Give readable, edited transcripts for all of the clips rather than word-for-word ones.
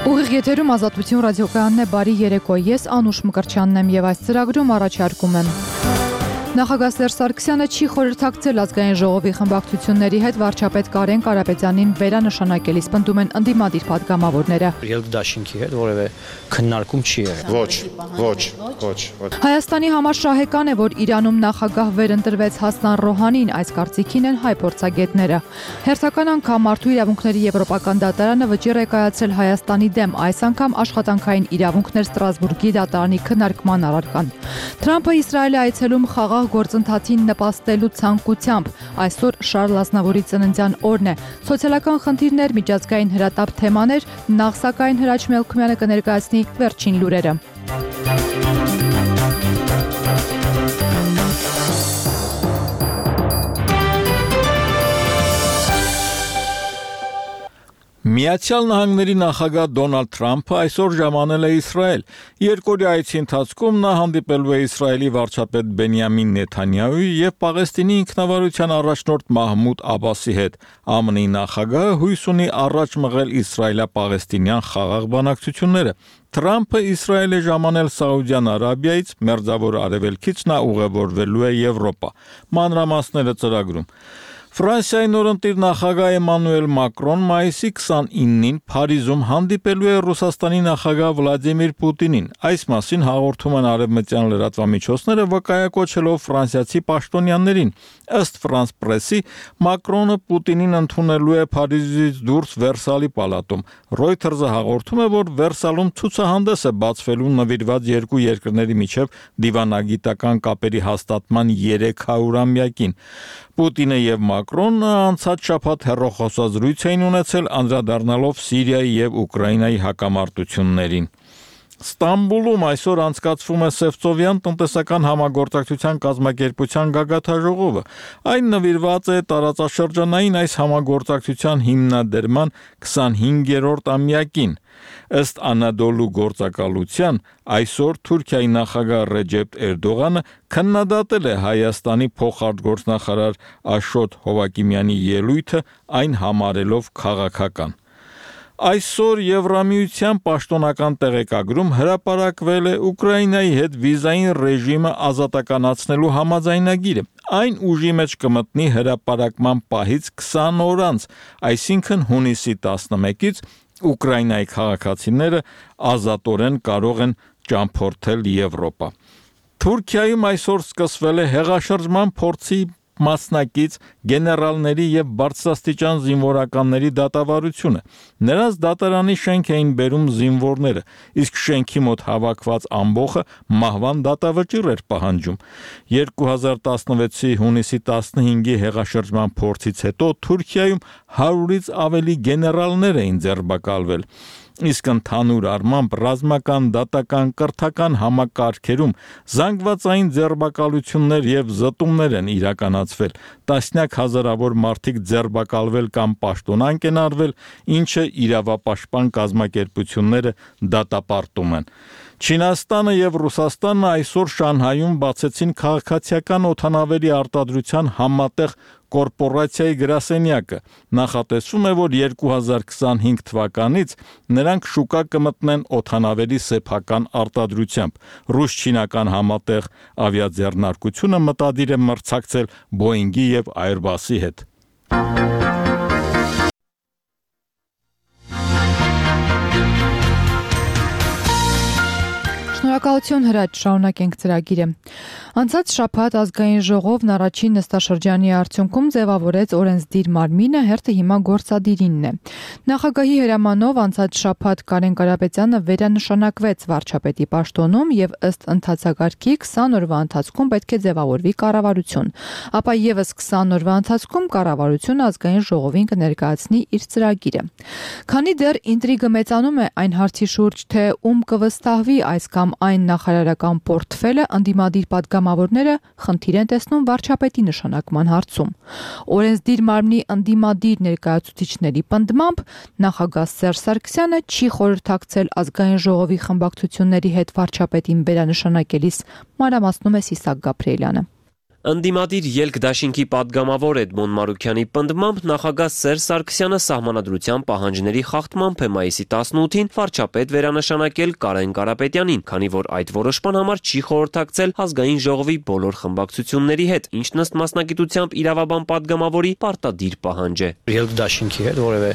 Ուղիղ եթերում Ազատություն ռադիոկայանն է, բարի երեկո, ես Անուշ Մկրտչյանն եմ եւ այս ծրագրում առաջարկում եմ. Նախագահ Սերժ Սարգսյանը չի խորհրդակցել ազգային ժողովի խմբակցությունների հետ վարչապետ Կարեն Կարապետյանին վերանշանակելիս պնդում են ընդդիմադիր պատգամավորները։ Երկդաշինքի հետ որևէ քննարկում չի եղել։ Ոչ։ Հայաստանի համար շահեկան է, որ Իրանում նախագահ վերընտրվեց Հասան Ռոհանին, այս կարծիքին են հայ փորձագետները։ Հերթական անգամ Մարդու իրավունքների եվրոպական դատարանը վճիռ է կայացրել Հայաստանի դեմ, այս անգամ աշխատանքային իրավունքներ Ստրասբուրգի դատարանի քննարկման առարկան։ Թրամփը Իսրայել է այցելում խաղաղ գործընթացին նպաստելու ցանկությամբ։ Այսօր Շարլ Ազնավուրի ծննդյան օրն է։ Սոցիալական խնդիրներ, միջազգային հրատապ թեմաներ, նախ սակայն Հրաչ Մելքումյանը կներկայացնի վերջին լուրերը։ Միացյալ Նահանգների նախագահ Դոնալդ Թրամփը այսօր ժամանել է Իսրայել։ Երկօրյա այցի ընթացքում նա հանդիպելու է Իսրայելի վարչապետ Բենյամին Նեթանյահուի եւ Պաղեստինի ինքնավարության առաջնորդ Մահմուդ Աբասի հետ։ ԱՄՆ-ի նախագահը հույս ունի առաջ մղել իսրայելա-պաղեստինյան խաղաղ բանակցությունները։ Թրամփը Իսրայել է ժամանել Սաուդյան Արաբիայից, Մերձավոր Արևելքից նա ուղևորվելու է Եվրոպա։ Մանրամասները ծրագրում։ Ֆրանսիայի նորընտիր նախագահ Էմանուել Մակրոն մայիսի 29-ին Փարիզում հանդիպելու է Ռուսաստանի նախագահ Վլադիմիր Պուտինին։ Այս մասին հաղորդում են արևմտյան լրատվամիջոցները, վկայակոչելով ֆրանսիացի պաշտոնյաներին։ Ըստ Ֆրանս Պրեսի, Մակրոնը Պուտինին ընդունելու է Փարիզից դուրս Վերսալի պալատում։ Reuters-ը հաղորդում է, որ Վերսալում ցուցահանդես է բացվելու նվիրված երկու երկրների միջև դիվանագիտական կապերի հաստատման 300-ամյակին։ Պուտինը եւ Մակրոնը անցած շաբաթ հեռախոսազրույց էին ունեցել, անդրադառնալով Սիրիայի եւ Ուկրաինայի հակամարտություններին։ Ստամբուլում այսօր անցկացվում է Սևծովյան տնտեսական համագործակցության կազմակերպության գագաթաժողովը։ Այն նվիրված է տարածաշրջանային այս համագործակցության հիմնադրման 25-րդ ամյակին։ Ըստ Անադոլու գործակալության, այսօր Թուրքիայի նախագահ Ռեջեփ Էրդողանը քննադատել է Հայաստանի փոխարտգործնախարար Աշոտ Հովակիմյանի ելույթը, այն համարելով քաղաքական։ Այսօր Եվրամիության պաշտոնական տեղեկագրում հրապարակվել է Ուկրաինայի հետ վիզային ռեժիմը ազատականացնելու համաձայնագիրը։ Այն ուժի մեջ կմտնի հրապարակման պահից 20 օր անց, այսինքն հունիսի 11-ից Ուկրաինայի քաղաքացիները ազատորեն կարող են ճամփորդել Եվրոպա։ Թուրքիայում այսօր սկսվել է հեղաշրջման փորձի մասնակից գեներալների եւ բարձրաստիճան զինվորականների դատավարությունը։ Նրանց դատարանի շենք էին բերում զինվորները, իսկ շենքի մոտ հավաքված ամբոխը մահվան դատավճիռ էր պահանջում։ 2016-ի հունիսի 15-ի հեղաշրջման փորձից հետո Թուրքիայում 100-ից ավելի գեներալներ էին ձերբակալվել։ Իսկ ընդհանուր առմամբ ռազմական, դատական, կրթական համակարգերում զանգվածային ձերբակալություններ եւ զտումներ են իրականացվել, տասնյակ հազարավոր մարդիկ ձերբակալվել կամ պաշտոնանկ են արվել, ինչը իրավապաշտպան կազմակերպությունները դատապարտում են։ Չինաստանը եւ Ռուսաստանը այսօր Շանհայում բացեցին քաղաքացիական օդանավերի արտադրության համատեղ կորպորացիայի գրասենյակը։ Նախատեսվում է, որ 2025 թվականից նրանք շուկա կմտնեն օդանավերի սեփական արտադրությամբ։ Ռուս-չինական համատեղ ավիաձեռնարկությունը մտադիր է մրցակցել Boeing-ի եւ Airbus-ի հետ։ Շնորհակալություն Հրաչ, շարունակենք ծրագիրը։ Անցած շաբաթ ազգային ժողովն առաջին նստաշրջանի արդյունքում ձևավորեց օրենսդիր մարմինը, հերթը հիմա գործադիրինն է։ Նախագահի հրամանով անցած շաբաթ Կարեն Կարապետյանը վերանշանակվեց վարչապետի պաշտոնում եւ ըստ ընթացակարգի 20 օրվա ընթացքում պետք է ձևավորվի կառավարություն։ Ապա եւս 20 օրվա ընթացքում կառավարությունը ազգային ժողովին կներկայացնի իր ծրագիրը։ Քանի դեռ ինտրիգը մեծանում է այն հարցի շուրջ, թե ում կվստահվի այս կամ այն նախարարական պորտֆելը, ընդդիմադիր պատգամավորները խնդիր են տեսնում վարչապետի նշանակման հարցում։ Օրենսդիր մարմնի ընդդիմադիր ներկայացուցիչների պնդմամբ նախագահ Սերժ Սարգսյանը չի խորհրդակցել ազգային ժողովի խմբակցությունների հետ վարչապետին վերանշանակելիս, մանրամասնում է Սիսակ Գաբրիելյանը։ Ընդդիմադիր ելք դաշինքի պատգամավոր Էդմոն Մարուքյանի պնդմամբ նախագահ Սերժ Սարգսյանը սահմանադրության պահանջների խախտմամբ է մայիսի 18-ին վարչապետ վերանշանակել Կարեն Կարապետյանին, քանի որ այդ որոշման համար չի խորհրդակցել ազգային ժողովի բոլոր խմբակցությունների հետ, ինչն ըստ մասնագիտությամբ իրավաբան պատգամավորի պարտադիր պահանջ է։ Ելք դաշինքի հետ որևէ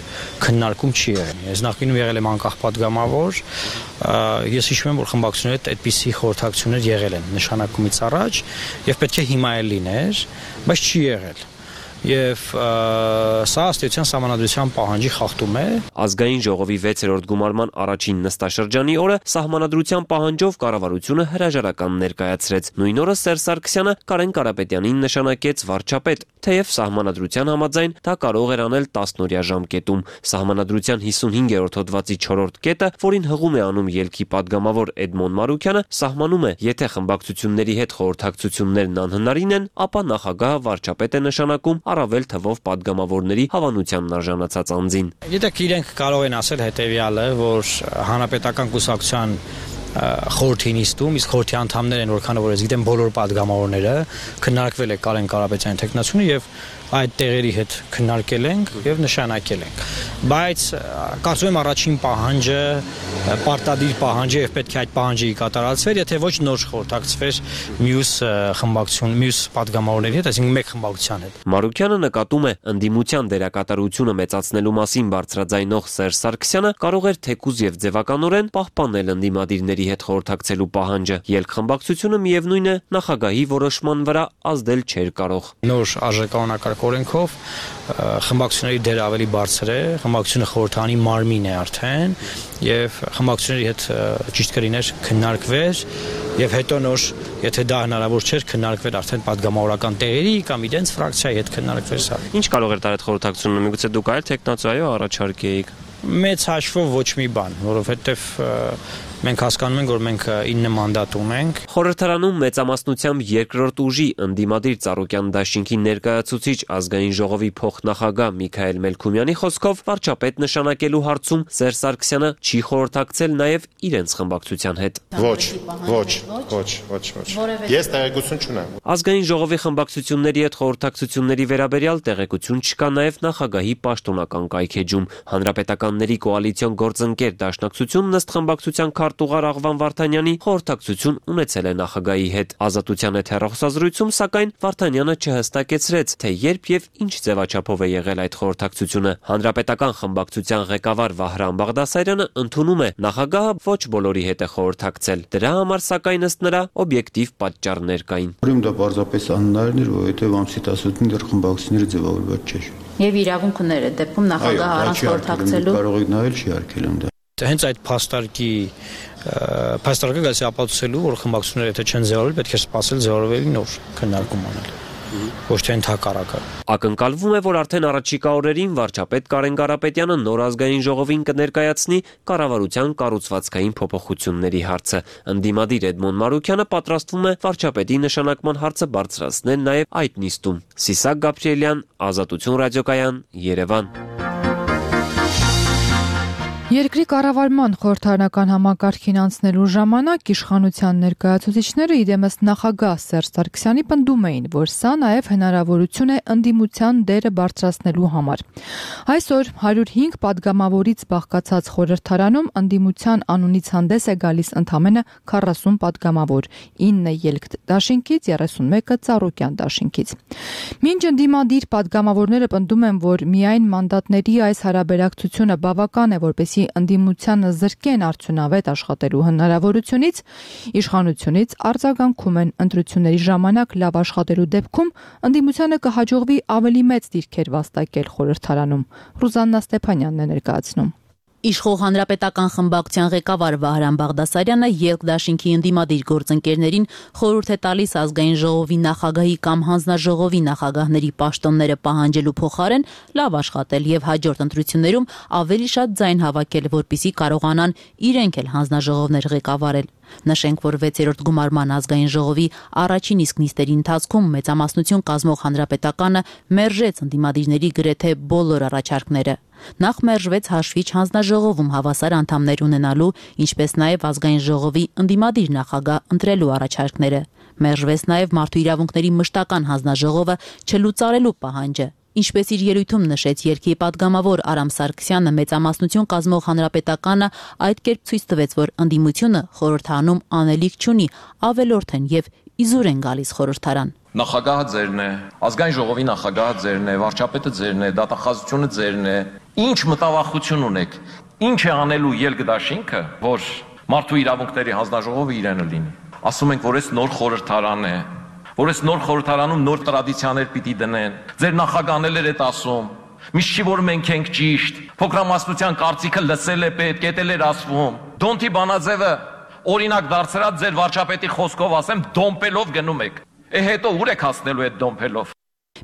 քննարկում չի եղել։ Ես նախկինում եղել եմ անկախ պատգամավոր, ես հիշում եմ, որ խմբակցությունների հետ այդպիսի խորհրդակցություններ եղել են նշանակումից առաջ եւ պետք է հիմա լիներ, բայց չի եղել։ Եվ սա ըստ էության սահմանադրության պահանջի խախտում է։ Ազգային ժողովի 6-րդ գումարման առաջին նստաշրջանի օրը սահմանադրության պահանջով կառավարությունը հրաժարական ներկայացրեց։ Նույն օրը Սերժ Սարգսյանը Կարեն Կարապետյանին նշանակեց վարչապետ, թեև սահմանադրության համաձայն դա կարող էր անել 10-օրյա ժամկետում։ Սահմանադրության 55-րդ հոդվածի 4-րդ կետը, որին հղում է անում ելքի падգամավոր Էդմոն Մարուքյանը, սահմանում է, եթե խմբակցությունների հետ խորհրդակցություններն անհնարին են, ապա նախագահը վարչապետ է նշանակում առավել թվով падգամավորների հավանությանն արժանացած անձին։ Գիտեք, իրենք կարող են ասել հետևյալը, որ հանրապետական կուսակցության խորհրդի նիստում, իսկ խորհրդի անդամներ են, որքան որ ես գիտեմ, բոլոր падգամավորները քննարկվել է Կարեն Կարապետյանի թեկնածությունը եւ այդ տեղերի հետ քննարկել ենք եւ նշանակել ենք։ Բայց կարծում եմ առաջին պահանջը պարտադիր պահանջ է եւ պետք է այդ պահանջը կատարածվեր, եթե ոչ նոր խորհրդակցվեր մյուս խմբակցություն, մյուս падգամավորների հետ, այսինքն մեկ խմբակցության հետ։ Մարուքյանը նկատում է, ընդդիմության դերակատարությունը մեծացնելու մասին բարձրաձայնող Սերժ Սարգսյանը կարող էր թեկուզ եւ ձևականորեն պահպանել ընդդիմադիրների հետ խորհրդակցելու պահանջը։ Ելք խմբակցությունը միևնույն է նախագահի որոշման վրա ազդել չէր կարող։ Նոր արժեկանոնակարգ օրենքով խմբակցությունների դերը ավելի բարձր է, խմբակցությունը խորհրդանի մարմին է արդեն եւ խմբակցությունների հետ ճիշտ կլիներ քննարկվեր եւ հետո նոր, եթե դա հնարավոր չէր, քննարկվեր արդեն падգամավորական տեղերի կամ իրենց ֆրակցիայի հետ քննարկվեր սա։ Ինչ կարող էր տալ այդ խորհրդակցությունը, միգուցե դուք այլ տեխնացիայով առաջարկեիք։ Մեծ հաշվով ոչ մի բան, որովհետեւ մենք հասկանում ենք, որ մենք 9 մանդատ ունենք։ Խորհրդարանում մեծամասնությամբ երկրորդ ուժի ընդդիմադիր Ծառուկյան դաշինքի ներկայացուցիչ ազգային ժողովի փոխնախագահ Միքայել Մելքումյանի խոսքով վարչապետ նշանակելու հարցում Սերժ Սարգսյանը չի խորհրդակցել նաև իրենց խմբակցության հետ։ Ոչ։ Ես տեղեկություն չունեմ։ Ազգային ժողովի խմբակցությունների հետ խորհրդակցությունների վերաբերյալ տեղեկություն չկա նաև նախագահի պաշտոնական կայքեջում։ Հանրապետականների կոալիցիոն գործընկեր դաշնակցությունն ըստ խմբակցության քարտուղար Աղվան Վարդանյանի խորհրդակցություն ունեցել է նախագահի հետ։ Ազատության հետ հեռախոսազրույցում, սակայն Վարդանյանը չհստակեցրեց, թե երբ եւ ինչ ձևաչափով է եղել այդ խորհրդակցությունը։ Հանրապետական խմբակցության ղեկավար Վահրամ Բաղդասարյանը ընդունում է, նախագահը ոչ բոլորի հետ է խորհրդակցել։ Դրա համար, սակայն ըստ նրա, օբյեկտիվ պատճառներ կային։ Ուրեմն դա պարզապես անհնարին էր, որովհետեւ ամսի 18-ին դեռ խմբակցությունները ձևավորված չէր։ Եվ իրավունք ուներ այդ դեպքում նախագահը առանց խորհրդակցելու։ Կարող եք նայել, չի արգելում դա։ Հենց այդ փաստարկը գալիս է ապացուցելու, որ խմբակցությունները եթե չեն ձևավորվել, պետք է սպասել ձևավորվելու նոր քննարկում անել։ Ոչ թե ընդհակառակը։ Ակնկալվում է, որ արդեն առաջիկա օրերին վարչապետ Կարեն Կարապետյանը նոր ազգային ժողովին կներկայացնի կառավարության կառուցվածքային փոփոխությունների հարցը։ Ընդդիմադիր Էդմոն Մարուքյանը պատրաստվում է վարչապետի նշանակման հարցը բարձրացնել նաև այդ նիստում։ Սիսակ Գաբրիելյան, Ազատություն ռադիոկայան, Երևան։ Երկրի կառավարման խորհրդարանական համակարգին անցնելու ժամանակ իշխանության ներկայացուցիչները իդեմս նախագահ Սերժ Սարգսյանի պնդում էին, որ սա նաև հնարավորություն է ընդդիմության դերը բարձրացնելու համար։ Այսօր 105 падգամավորից բաղկացած խորհրդարանում ընդդիմության անունից հանդես է գալիս ընդամենը 40 падգամավոր, 9 ելք դաշինքից, 31-ը Ծառուկյան դաշինքից։ Մինչ ընդդիմադիր падգամավորները պնդում են, որ միայն մանդատների այս հարաբերակցությունը բավական է, որպեսզի ընդդիմությանը զրկեն արդյունավետ աշխատելու հնարավորությունից, իշխանությունից արձագանքում են ընտրությունների ժամանակ լավ աշխատելու դեպքում ընդդիմությանը կհաջողվի ավելի մեծ դիրքեր վաստակել խորհրդարանում։ Ռուզաննա Ստեփանյանն է ներկայացնում։ Իշխող հանրապետական խմբակցության ղեկավար Վահրամ Բաղդասարյանը ելք դաշինքի ընդդիմադիր գործընկերներին խորհուրդ է տալիս ազգային ժողովի նախագահի կամ հանձնաժողովի նախագահների պաշտոնները պահանջելու փոխարեն լավ աշխատել եւ հաջորդ ընտրություններում ավելի շատ ձայն հավաքել, որպեսզի կարողանան իրենք էլ հանձնաժողովներ ղեկավարել։ Նշենք, որ 6-րդ գումարման ազգային ժողովի առաջին իսկ նիստերի ընթացքում մեծամասնություն կազմող հանրապետականը մերժեց ընդդիմադիրների գրեթե բոլոր առաջարկները։ Նախ մերժվեց հաշվիչ հանձնաժողովում հավասար անդամներ ունենալու, ինչպես նաև ազգային ժողովի ընդդիմադիր նախագահ ընտրելու առաջարկները։ Մերժվեց նաև մարդու իրավունքների մշտական հանձնաժողովը չլուծարելու պահանջը։ Ինչպես իր ելույթում նշեց երկրի պատգամավոր Արամ Սարգսյանը, մեծամասնություն կազմող հանրապետականը այդ կերպ ցույց տվեց, որ ընդդիմությունը խորհրդարանում անելիք չունի, ավելորդ են եւ իզուր են գալիս խորհրդարան։ Նախագահը ձերն է, ազգային ժողովի նախագահը ձերն է, վարչապետը ձերն է, դատախազությունը ձերն է։ Ինչ մտավախություն ունեք, ինչ է անելու ելգդաշինքը, որ մարդու իրավունքների հանձնաժողովը իրենը լինի։ Ասում ենք, որ այս նոր խորհրդարան է, որ այս նոր խորհրդարանում նոր տրադիցիաներ պիտի դնեն։ Ձեր նախագահն էլ այդ ասում։ Միշտ չի որ մենք ենք ճիշտ։ Փոքրամասնության կարծիքը լսել է պետք, էտել էր ասվում։ Դոնթի Բանաձևը օրինակ դարձրած ձեր վարչապետի խոսքով ասեմ, դոմպելով գնում եք։ Հետո ուր եք հասնելու այդ դոմպելով։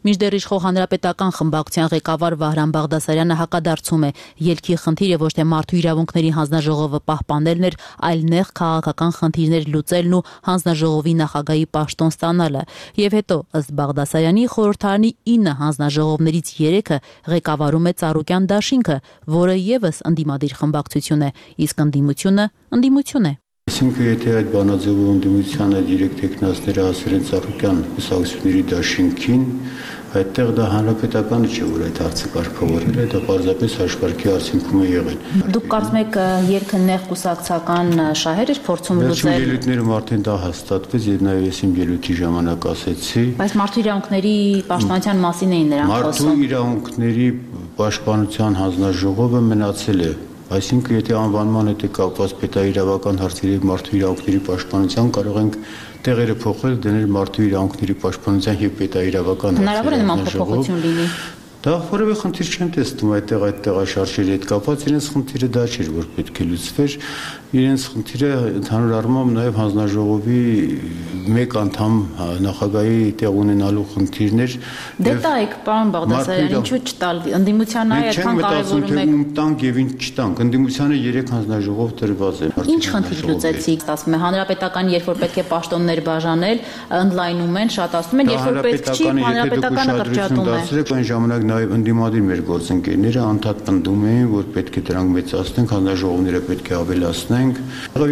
Մինչդեռ իշխող հանրապետական խմբակցության ղեկավար Վահրամ Բաղդասարյանը հակադարձում է, ելքի խնդիրը ոչ թե մարդու իրավունքների հանձնաժողովը պահպանելն էր, այլ նեղ քաղաքական խնդիրներ լուծելն ու հանձնաժողովի նախագահի պաշտոն ստանալը։ Եվ հետո, ըստ Բաղդասարյանի, խորհրդարանի 9 հանձնաժողովներից 3-ը ղեկավարում է Ծառուկյան դաշինքը, որը եւս ընդդիմադիր խմբակցություն է, իսկ ընդդիմություն է։ Այսինքն, եթե այդ բանաձևով ընդդիմությանը դիրեկտ տեխնացիները ասել են Ծառուկյան կուսակցությունների դաշինքին, այդտեղ դա հանրապետականը չէ, որ այդ հարցը կարգավորել է, դա պարզապես հաշվարկի արդյունքում է եղել։ Դուք կարծում եք երկը նեղ կուսակցական շահեր էր փորձում լուծել։ Ելույթներում արդեն դա հաստատվեց, եւ նաեւ ես իմ ելույթի ժամանակ ասեցի։ Բայց մարդու իրավունքների պաշտպանության մասին էին նրանք խոսում։ Մարդու իրավունքների պաշտպանության հանձնաժողովը մնացել է։ Այսինքն, եթե անվանման հետ է կապված պետաիրավական հարցերի եւ մարդու իրավունքների պաշտպանության, կարող ենք տեղերը փոխել, դնել մարդու իրավունքների պաշտպանության եւ պետաիրավական հարցերի։ Հնարավոր է նման փոփոխություն լինի։ Դա որևէ խնդիր չեմ տեսնում այդտեղ այդ տեղաշարժերի հետ կապված, իրենց խնդիրը դա չէր, որ պետք է լուծվեր, իրենց խնդիրը ընդհանուր առմամբ նաև հանձնաժողովի մեկ անդամ նախագահի տեղ ունենալու խնդիրներ։ Դե տայք, պարոն Բաղդասարյան, ինչու չտալ, ընդդիմությանը այդքան կարևորում եք։ Տանք եւ ինչ չտանք, ընդդիմությանը 3 հանձնաժողով տրված է։ Ինչ խնդիր լուծեցիք, ասում է հանրապետական, երբ որ պետք է պաշտոններ բաժանել, ընդլայնում են, շատացնում են, երբ որ պետք չի, հանրապետականը կրճատում է։ Այն ժամանակ նաև ընդդիմադիր մեր գործընկերները անդադ պնդում էին, որ պետք է դրանք մեծացնենք, հանձնաժողովները պետք է ավելացնենք։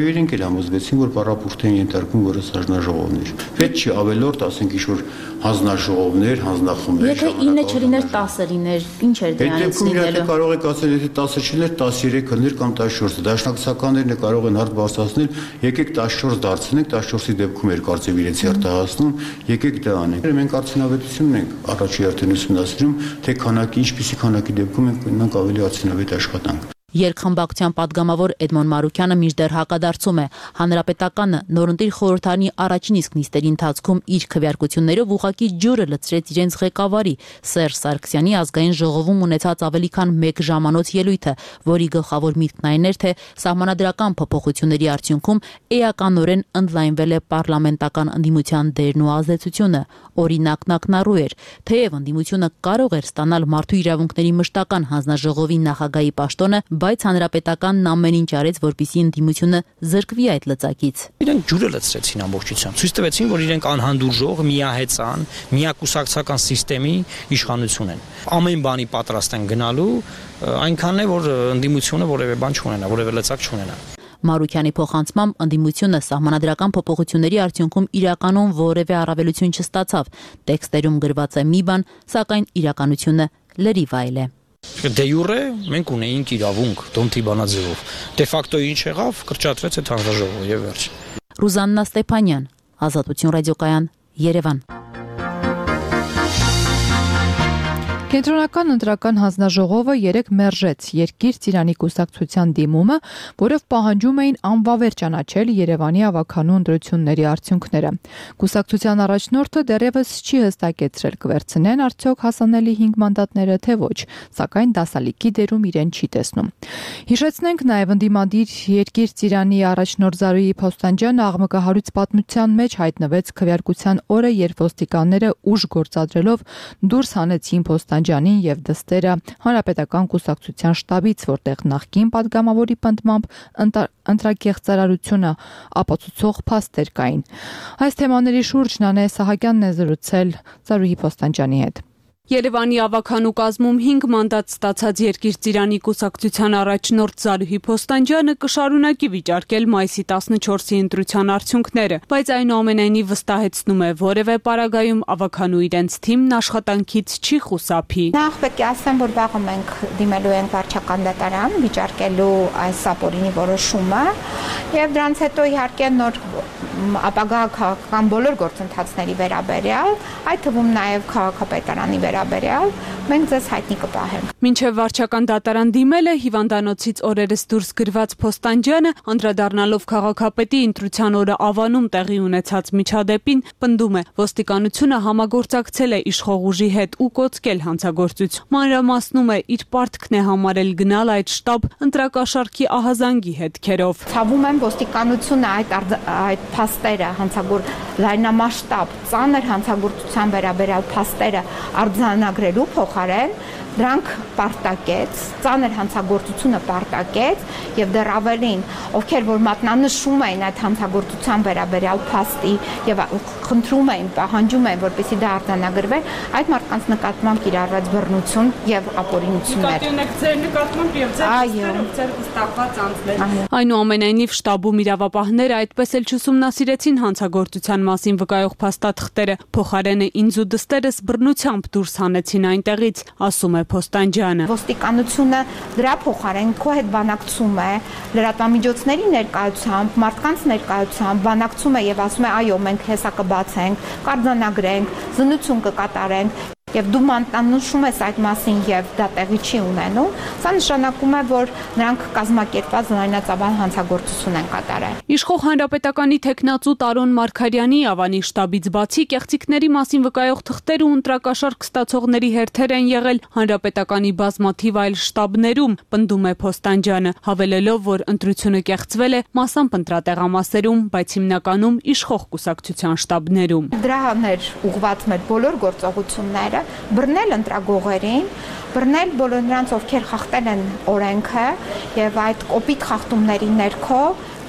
Իրենք էլ համոզվեցին, որ պարապուրտ են ենթարկում որս հանձնաժողովներ։ Պետք չի ավելորդ, ասենք ինչ-որ հանձնաժողովներ, հանձնախմբեր։ Եթե 9 չլիներ, 10 լիներ, ինչ էր դրանից լինելու։ Կարող եք ասել, եթե 10 չլիներ, 13 լիներ կամ 14։ Դաշնակցականներն կարող են հարց բարձրացնել, եկեք 14 դարձնենք, 14-ի դեպքում էր կարծեմ իրենց հերթահասնում, եկեք դա անենք։ Մենք արդյունավետություն ենք առաջի հերթին ուսումնասիրում, թե քանակի, ինչպիսի քանակի դեպքում ենք ունենանք ավելի արդյունավետ աշխատանք։ Երկխմբակցության падգամավոր Էդմոն Մարուկյանը մինչդեռ հակադարձում է, հանրապետականը նորընտիր խորհրդարանի առաջին իսկ նիստերի ընթացքում իր քվեարկություններով ուղղակի ջուրը լցրեց իրենց ղեկավարի Սերժ Սարգսյանի ազգային ժողովում ունեցած ավելի քան 1 ժամանոց ելույթը, որի գլխավոր միտքն այն էր, թե սահմանադրական փոփոխությունների արդյունքում էականորեն ընդլայնվել է պարլամենտական ընդդիմության դերն ու ազդեցությունը։ Օրինակն ակնառու էր, թեև ընդդիմությունը կարող էր ստանալ մարդու իրավունքների մշտական հանձնաժողովի նախագահի պաշտոնը, բայց հանրապետականն ամեն ինչ արեց, որպեսզի ընդդիմությունը զրկվի այդ լծակից։ Իրենք ջուրը լցրեցին ամբողջությամբ։ Ցույց տվեցին, որ իրենք անհանդուրժող, միահեծան, միակուսակցական համակարգի իշխանություն են։ Ամեն բանի պատրաստ են գնալու, այնքանն է, որ ընդդիմությունը որևէ բան չունենա, որևէ լծակ չունենա։ Մարուկյանի փոխանցմամբ ընդդիմությունը սահմանադրական փոփոխությունների արդյունքում իրականում որևէ առավելություն չստացավ։ Տեքստերում գրված է մի բան, սակայն իրականությունը լրիվ այլ է։ Դե յուրե մենք ունեինք իրավունք Դոնթի Բանաձևով։ Դե ֆակտո ինչ եղավ, կրճատվեց այդ հանձնաժողովը եւ վերջ։ Ռուզաննա Ստեփանյան, Ազատություն ռադիոկայան, Երևան։ Կենտրոնական ընտրական հանձնաժողովը 3 մերժեց Երկիր Ծիրանի կուսակցության դիմումը, որով պահանջում էին անվավեր ճանաչել Երևանի ավագանու ընտրությունների արդյունքները։ Կուսակցության առաջնորդը դեռևս չի հստակեցրել կվերցնեն արդյոք հասանելի 5 մանդատները թե ոչ, սակայն դասալիկի դերում իրեն չի տեսնում։ Հիշեցնենք նաև ընդդիմադիր Երկիր Ծիրանի առաջնորդ Զարուհի Փոստանջյանը աղմկահարույց պատմության մեջ հայտնվեց քվեարկության օրը, երբ ոստիկանները ուժ գործադրելով դուրս հանեցին Փոստանջյանին եւ դստերը հանրապետական կուսակցության շտաբից, որտեղ նախկին падգամավորի պնդմամբ ընտրակեղծարարությունը ապացուցող փաստեր կային։ Այս թեմաների շուրջ Նանե Սահակյանն է զրուցել Զարուհի Փոստանջյանի հետ։ Երևանի ավագանու կազմում 5 մանդատ ստացած Երկիր ծիրանի կուսակցության առաջնորդ Զարուհի Փոստանջյանը կշարունակի վիճարկել մայիսի 14-ի ընտրության արդյունքները, բայց այնուամենայնիվ վստահեցնում է, որևէ պարագայում ավագանու իրենց թիմն աշխատանքից չի խուսափի։ Նախ պետք է ասեմ, որ վաղը մենք դիմելու ենք վարչական դատարան, վիճարկելու այս ապօրինի որոշումը, եւ դրանց հետո իհարկե նոր ապագա քաղաքական բոլոր գործընթացների վերաբերյալ, այդ թվում նաև քաղաքապետարանի վերաբերյալ, մենք ձեզ հայտնի կպահենք։ Մինչև վարչական դատարան դիմելը հիվանդանոցից օրերս դուրս գրված Փոստանջյանը, անդրադառնալով քաղաքապետի ընտրության օրը Ավանում տեղի ունեցած միջադեպին, պնդում է, ոստիկանությունը համագործակցել է իշխող ուժի հետ ու կոծկել հանցագործություն։ Մանրամասնում է, իր պարտքն է համարել գնալ այդ շտաբ ընտրակաշառքի ահազանգի հետքերով։ Ցավում եմ, ոստիկանությունը այդ փաստերը լայնամասշտաբ ծանր հանցագործության վերաբերյալ փաստերը արձանագրելու փոխարեն դրանք պարտակեց, ծանր հանցագործությունը պարտակեց եւ դեռ ավելին, ովքեր որ մատնանշում էին այդ հանցագործության վերաբերյալ փաստի եւ խնդրում էին, պահանջում էին, որպեսզի դա արձանագրվի, այդ մարդկանց նկատմամբ կիրառված բռնություն եւ ապօրինություններ։ Ձեր նկատմամբ եւ ձեր վստահված անձներ։ Այնուամենայնիվ շտաբում իրավապահները այդպես էլ չուսումնասիրեցին հանցագործության մասին վկայող փաստաթղթերը, փոխարենը ինձ ու դստերս բռնությամբ դուրս հանեցին այնտեղից, ասում է Փոստանջյանը։ Ոստիկանությունը դրա փոխարեն քո հետ բանակցում է լրատվամիջոցների ներկայությամբ, մարդկանց ներկայությամբ, բանակցում է եւ ասում է այո, մենք հեսա կբացենք, կարձանագրենք, զննություն կկատարենք։ Եվ դու մանտանշում ես այդ մասին եւ դա տեղի չի ունենում, սա նշանակում է, որ նրանք կազմակերպված լայնածավալ հանցագործություն են կատարել։ Իշխող հանրապետականի տեխնացու Տարոն Մարգարյանի Ավանի շտաբից բացի կեղծիքների մասին վկայող թղթեր ու ընտրակաշառք ստացողների հերթեր են եղել հանրապետականի բազմաթիվ այլ շտաբներում, պնդում է Փոստանջյանը, հավելելով, որ ընտրությունը կեղծվել է մասամբ ընտրատեղամասերում, բայց հիմնականում իշխող կուսակցության շտաբներում։ Դրան էր ուղղված մեր բոլոր գործողությունները, բռնել ընտրագողերին, բռնել բոլոր նրանց, ովքեր խախտել են օրենքը եւ այդ կոպիտ խախտումների ներքո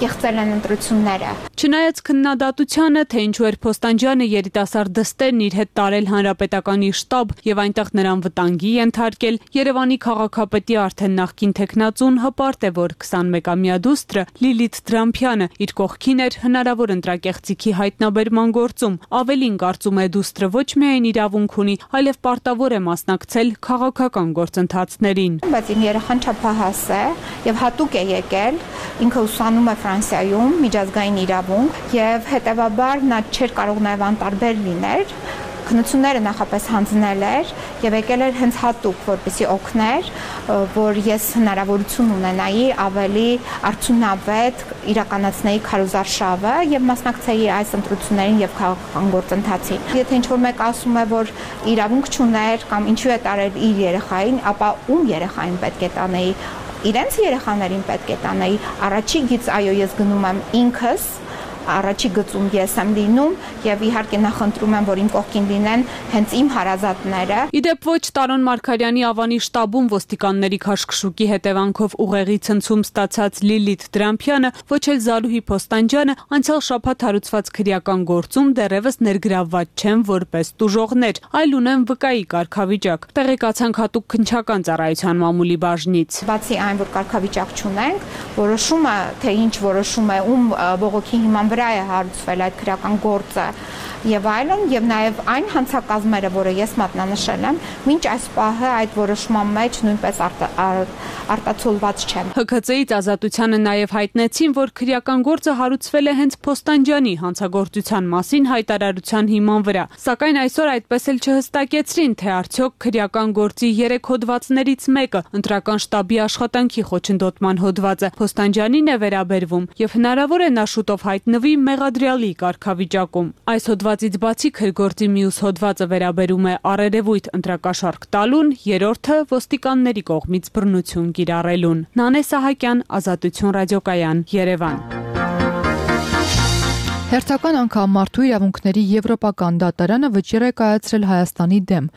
կեղծել են ընտրությունները։ Չնայած քննադատությանը, թե ինչու էր Փոստանջյանը երիտասարդ դստերն իր հետ տարել հանրապետականի շտաբ եւ այնտեղ նրան վտանգի ենթարկել, Երևանի քաղաքապետի արդեն նախկին տեխնացուն հպարտ է, որ 21-ամյա դուստրը Լիլիթ Դրամփյանը իր կողքին էր հնարավոր ընտրակեղծիքի հայտնաբերման գործում։ Ավելին, կարծում է, դուստրը ոչ միայն իրավունք ունի, այլև պարտավոր է մասնակցել քաղաքական գործընթացներին։ Բայց իմ երեխան չափահաս է եւ հատուկ է եկել, ինքը ուսանում է Ֆրանսիայում միջազգային իրավունք եւ հետեւաբար նա չէր կարող նաեւ անտարբեր լինել, քննությունները նախապես հանձնել էր եւ եկել էր հենց հատուկ, որպեսզի օգներ, որ ես հնարավորություն ունենայի ավելի արդյունավետ իրականացնեի քարոզարշավը եւ մասնակցեի այս ընտրություններին եւ քաղաքական գործընթացին։ Եթե ինչ-որ մեկ ասում է, որ իրավունք չուներ կամ ինչու է տարել իր երեխային, ապա ում երեխային պետք է տանեի։ Իրենց երեխաներին պետք է տանեի, առաջի գից այո ես գնում եմ ինքս, առաջի գծում ես եմ լինում եւ իհարկե նախընտրում եմ, որ իմ կողքին լինեն հենց իմ հարազատները։ Իդեպ ոչ Տարոն Մարգարյանի Ավանի շտաբում ոստիկանների քաշքշուկի հետևանքով ուղեղի ցնցում ստացած Լիլիթ Դրամփյանը, ոչ էլ Զարուհի Փոստանջյանը անցյալ շաբաթ հարուցված քրեական գործում դեռևս ներգրավված չեն որպես տուժողներ, այլ ունեն վկայի կարգավիճակ։ Տեղեկացանք հատուկ քննչական ծառայության մամուլի բաժնից։ Բացի այն, որ կարգավիճակ չունենք, որոշումը, թե ինչ որոշում է, ում բողոքի հիման վրա է հարուցվել այդ քրեական գործը եւ այլն, եւ նաեւ այն հանցակազմերը, որը ես մատնանշել եմ, մինչ այս պահը այդ որոշման մեջ նույնպես արտացոլված չեն։ ՀՔԾ-ից Ազատությանը նաեւ հայտնեցին, որ քրեական գործը հարուցվել է հենց Փոստանջյանի հանցագործության մասին հայտարարության հիման վրա, սակայն այսօր այդպես էլ չհստակեցրին, թե արդյոք քրեական գործի 3 հոդվածներից մեկը ընտրական շտաբի աշխատանքի խոչընդոտման հոդվածը Փոստանջյանին է վերաբերվում եւ հնարավոր է նա շուտով հայտնվի մեղադրյալի կարգավիճակում։ Այս հոդվածից բացի քրգործի մյուս հոդվածը վերաբերում է առերևույթ ընտրակաշառք տալուն, երրորդը ոստիկանների կողմից բռնություն կիրառելուն։ Նանե Սահակյան, Ազատություն ռադիոկայան, Երևան։ Հերթական անգամ Մարդու իրավունքների Եվրոպական դատարանը վճիռ է կայացրել Հայաստանի դեմ։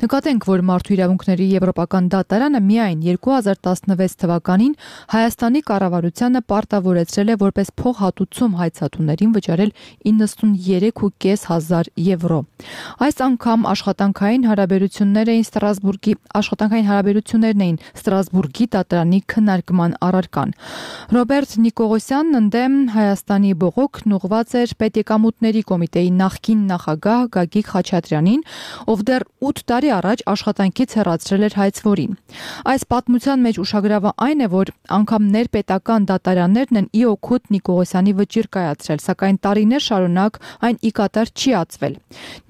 Նկատենք, որ Մարդու իրավունքների Եվրոպական դատարանը միայն 2016 թվականին Հայաստանի կառավարությանը պարտավորեցրել է որպես փոխհատուցում հայցատուներին վճարել 93.5 հազար եվրո։ Այս անգամ աշխատանքային հարաբերություններն էին Ստրասբուրգի դատարանի քննարկման առարկան։ Ռոբերտ Նիկողոսյանն ընդդեմ Հայաստանի բողոքն ուղղված էր Պետեկամուտների կոմիտեի նախկին նախագահ Գագիկ Խաչատրյանին, ով դեռ 8 տարի առաջ աշխատանքից հեռացրել էր հայցվորին։ Այս պատմության մեջ ուշագրավը այն է, որ անգամ ներպետական դատարաններն են ի օգուտ Նիկողոսյանի վճիռ կայացրել, սակայն տարիներ շարունակ այն ի կատար չի ածվել։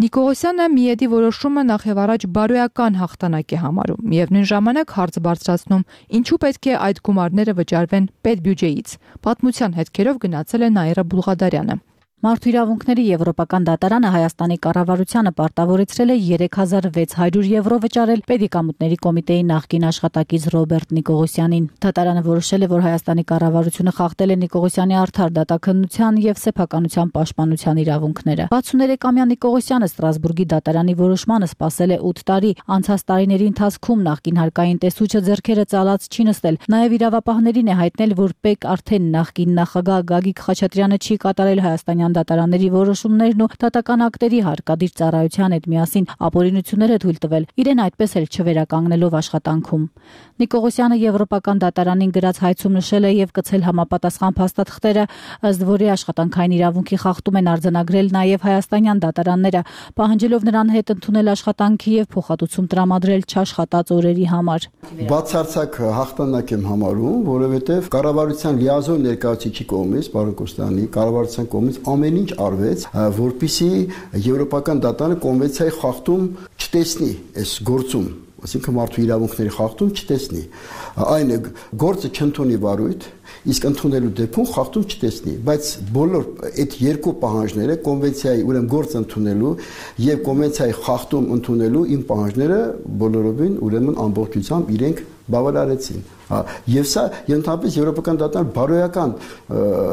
Նիկողոսյանը Միեդի որոշումը նախ եւ առաջ բարոյական հաղթանակ է համարում, միևնույն ժամանակ հարց բարձրացնում, ինչու պետք է այդ գումարները վճարվեն պետբյուջեից։ Պատմության հետքերով գնացել է Նաիրա Բուլղադարյանը։ Մարդու իրավունքների Եվրոպական դատարանը Հայաստանի կառավարությանը պարտավորեցրել է 3600 եվրո վճարել Պետեկամուտների կոմիտեի նախկին աշխատակից Ռոբերտ Նիկողոսյանին։ Դատարանը որոշել է, որ Հայաստանի կառավարությունը խախտել է Նիկողոսյանի արդար դատաքննության եւ սեփականության պաշտպանության իրավունքները։ 63-ամյա Նիկողոսյանը Ստրասբուրգի դատարանի որոշմանը սպասել է 8 տարի։ Անցած տարիների ընթացքում նախկին հարկային տեսուչը ձեռքերը ծալած չի նստել։ Նաեւ իրավապահներին է հայտնել, որ ՊԵԿ արդեն նախկին նախագահ Գագիկ Խաչատրյանը չի կատարել հայաստանյան դատարանների որոշումներն ու դատական ակտերի հարկադիր ծառայության հետ միասին ապօրինությունները թույլ տվել, իրեն այդպես էլ չվերականգնելով աշխատանքում։ Նիկողոսյանը Եվրոպական դատարանին գրած հայցում նշել է եւ կցել համապատասխան փաստաթղթերը, ըստ որի աշխատանքային իրավունքի խախտում են արձանագրել նաեւ հայաստանյան դատարանները, պահանջելով նրան հետ ընդունել աշխատանքի եւ փոխհատուցում տրամադրել չաշխատած օրերի համար։ Բացարձակ հաղթանակ եմ համարում, որովհետեւ կառավարության լիազոր ներկայացուցիչի կողմից, պարոն Կոստյանի, կառավարության կողմից ամեն ինչ արվեց, որպեսզի Եվրոպական դատարանը կոնվենցիայի խախտում չտեսնի այս գործում, այսինքն մարդու իրավունքների խախտում չտեսնի։ Այն է գործը չընդունի վարույթ, իսկ ընդունելու դեպքում խախտում չտեսնի, բայց բոլոր այդ երկու պահանջները կոնվենցիայի ուրեմն գործ ընդունելու եւ կոնվենցիայի խախտում ընդունելու իմ պահանջները բոլորովին ուրեմն ամբողջությամբ իրենք բավարարեցին։ Եվ սա ընդհանրապես Եվրոպական դատարան բարոյական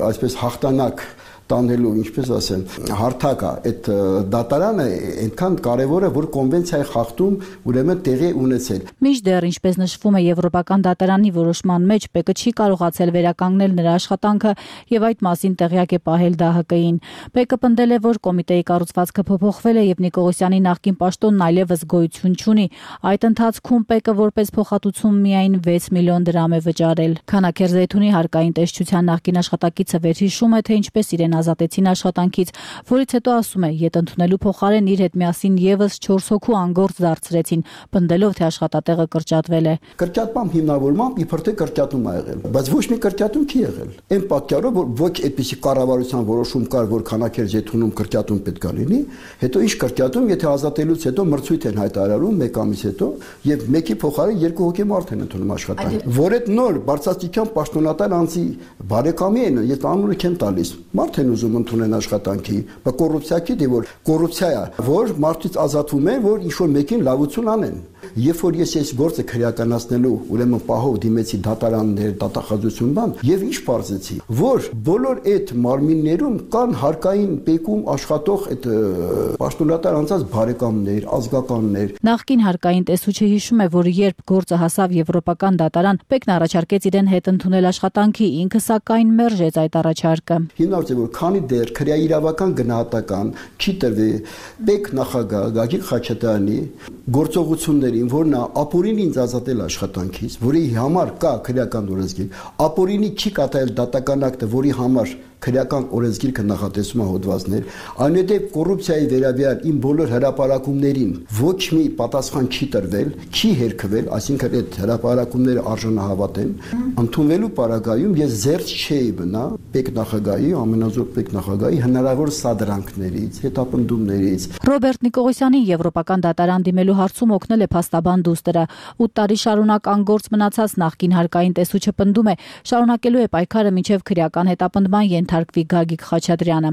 այսպես հաղթանակ տանելու, ինչպես ասեմ, հարթակա այդ դատարանը այնքան կարևոր է, որ կոնվենցիայի խախտում ուրեմն տեղի ունեցել։ Մինչդեռ, ինչպես նշվում է Եվրոպական դատարանի որոշման մեջ, ՊԵԿ-ը չի կարողացել վերականգնել նրա աշխատանքը եւ այդ մասին տեղյակ է պահել ԴՀԿ-ին։ ՊԵԿ-ը պնդել է, որ կոմիտեի կառուցվածքը փոփոխվել է եւ Նիկողոսյանի նախկին պաշտոնն այլևս գոյություն չունի։ Այդ ընթացքում ՊԵԿ-ը որպես փոխհատուցում միայն 6 միլիոն դրամ է վճարել։ Քանաքեր Զեյթունի հարկային տեսչության նախկին աշխատակիցը վերհիշում է, թե ինչպես իրեն ազատեցին աշխատանքից, որից հետո ասում է, ետ ընդունելու փոխարեն իր հետ միասին եւս 4 հոգու անգործ դարձրեցին, պնդելով, թե աշխատատեղը կրճատվել է։ Կրճատման հիմնավորմամբ իբր թե կրճատում ա եղել, բայց ոչ մի կրճատում չի եղել։ Այն պատճառով, որ ոչ այդպիսի կառավարության որոշում կար, որ քանակեր Զեյթունում կրճատում պետք է լինի, հետո ինչ կրճատում, եթե ազատելուց հետո մրցույթ են հայտարարում 1 ամիս հետո եւ մեկի փոխարեն 2 հոգի մարդ են ընդունում աշխատանք։ Որ այդ նոր բարձրաստիճան պաշտոնատար անձի բարեկամի են, ես անունը չեմ տալիս, մարդ են ուզում ընդունեն աշխատանքի, բայց կոռուպցիա չի, դե որ կոռուպցիա է, որ մարդից ազատվում են, որ ինչ-որ մեկին լավություն անեն։ Երբ որ ես այս գործը քրեականացնելու ուրեմն պահով դիմեցի դատարաններ, դատախազություն բան, եւ ինչ բարձեցի, որ բոլոր այդ մարմիններում կան հարկային ՊԵԿ-ում աշխատող այդ պաշտոնատար անձած բարեկամներ, ազգականներ։ Նախկին հարկային տեսուչը հիշում է, որ երբ գործը հասավ Եվրոպական դատարան, ՊԵԿ-ն առաջարկեց իրեն հետ ընդունել աշխատանքի, ինքը սակայն մերժեց այդ առաջարկը։ Հիմնավորված է, որ քանի դեռ քրեաիրավական գնահատական չի տրվի ՊԵԿ նախագահ Գագիկ Խաչատրյանի գործողություններին, որ նա ապօրինի ինձ ազատել աշխատանքից, որի համար կա քրեական օրենսգիր, ապօրինի չի կատարել դատական ակտը, որի համար քրեական օրենսգիրքը նախատեսում է հոդվածներ, այնուհետև կոռուպցիայի վերաբերյալ իմ բոլոր հրապարակումներին ոչ մի պատասխան չի տրվել, չի հերքվել, այսինքն այդ հրապարակումները արժանահավատ են, ընդունվելու պարագայում ես զերծ չէի մնա ՊԵԿ նախագահի, ամենազոր ՊԵԿ նախագահի հնարավոր սադրանքներից, հետապնդումներից։ Ռոբերտ Նիկողոսյանի Եվրոպական դատարան դիմելու հարցում օգնել է փաստաբան դուստրը։ 8 տարի շարունակ անգործ մնացած նախկին հարկային տեսուչը պնդում է, շարունակելու է պայքարը մինչև քրեական հետապնդման ենթարկվի Գագիկ Խաչատրյանը։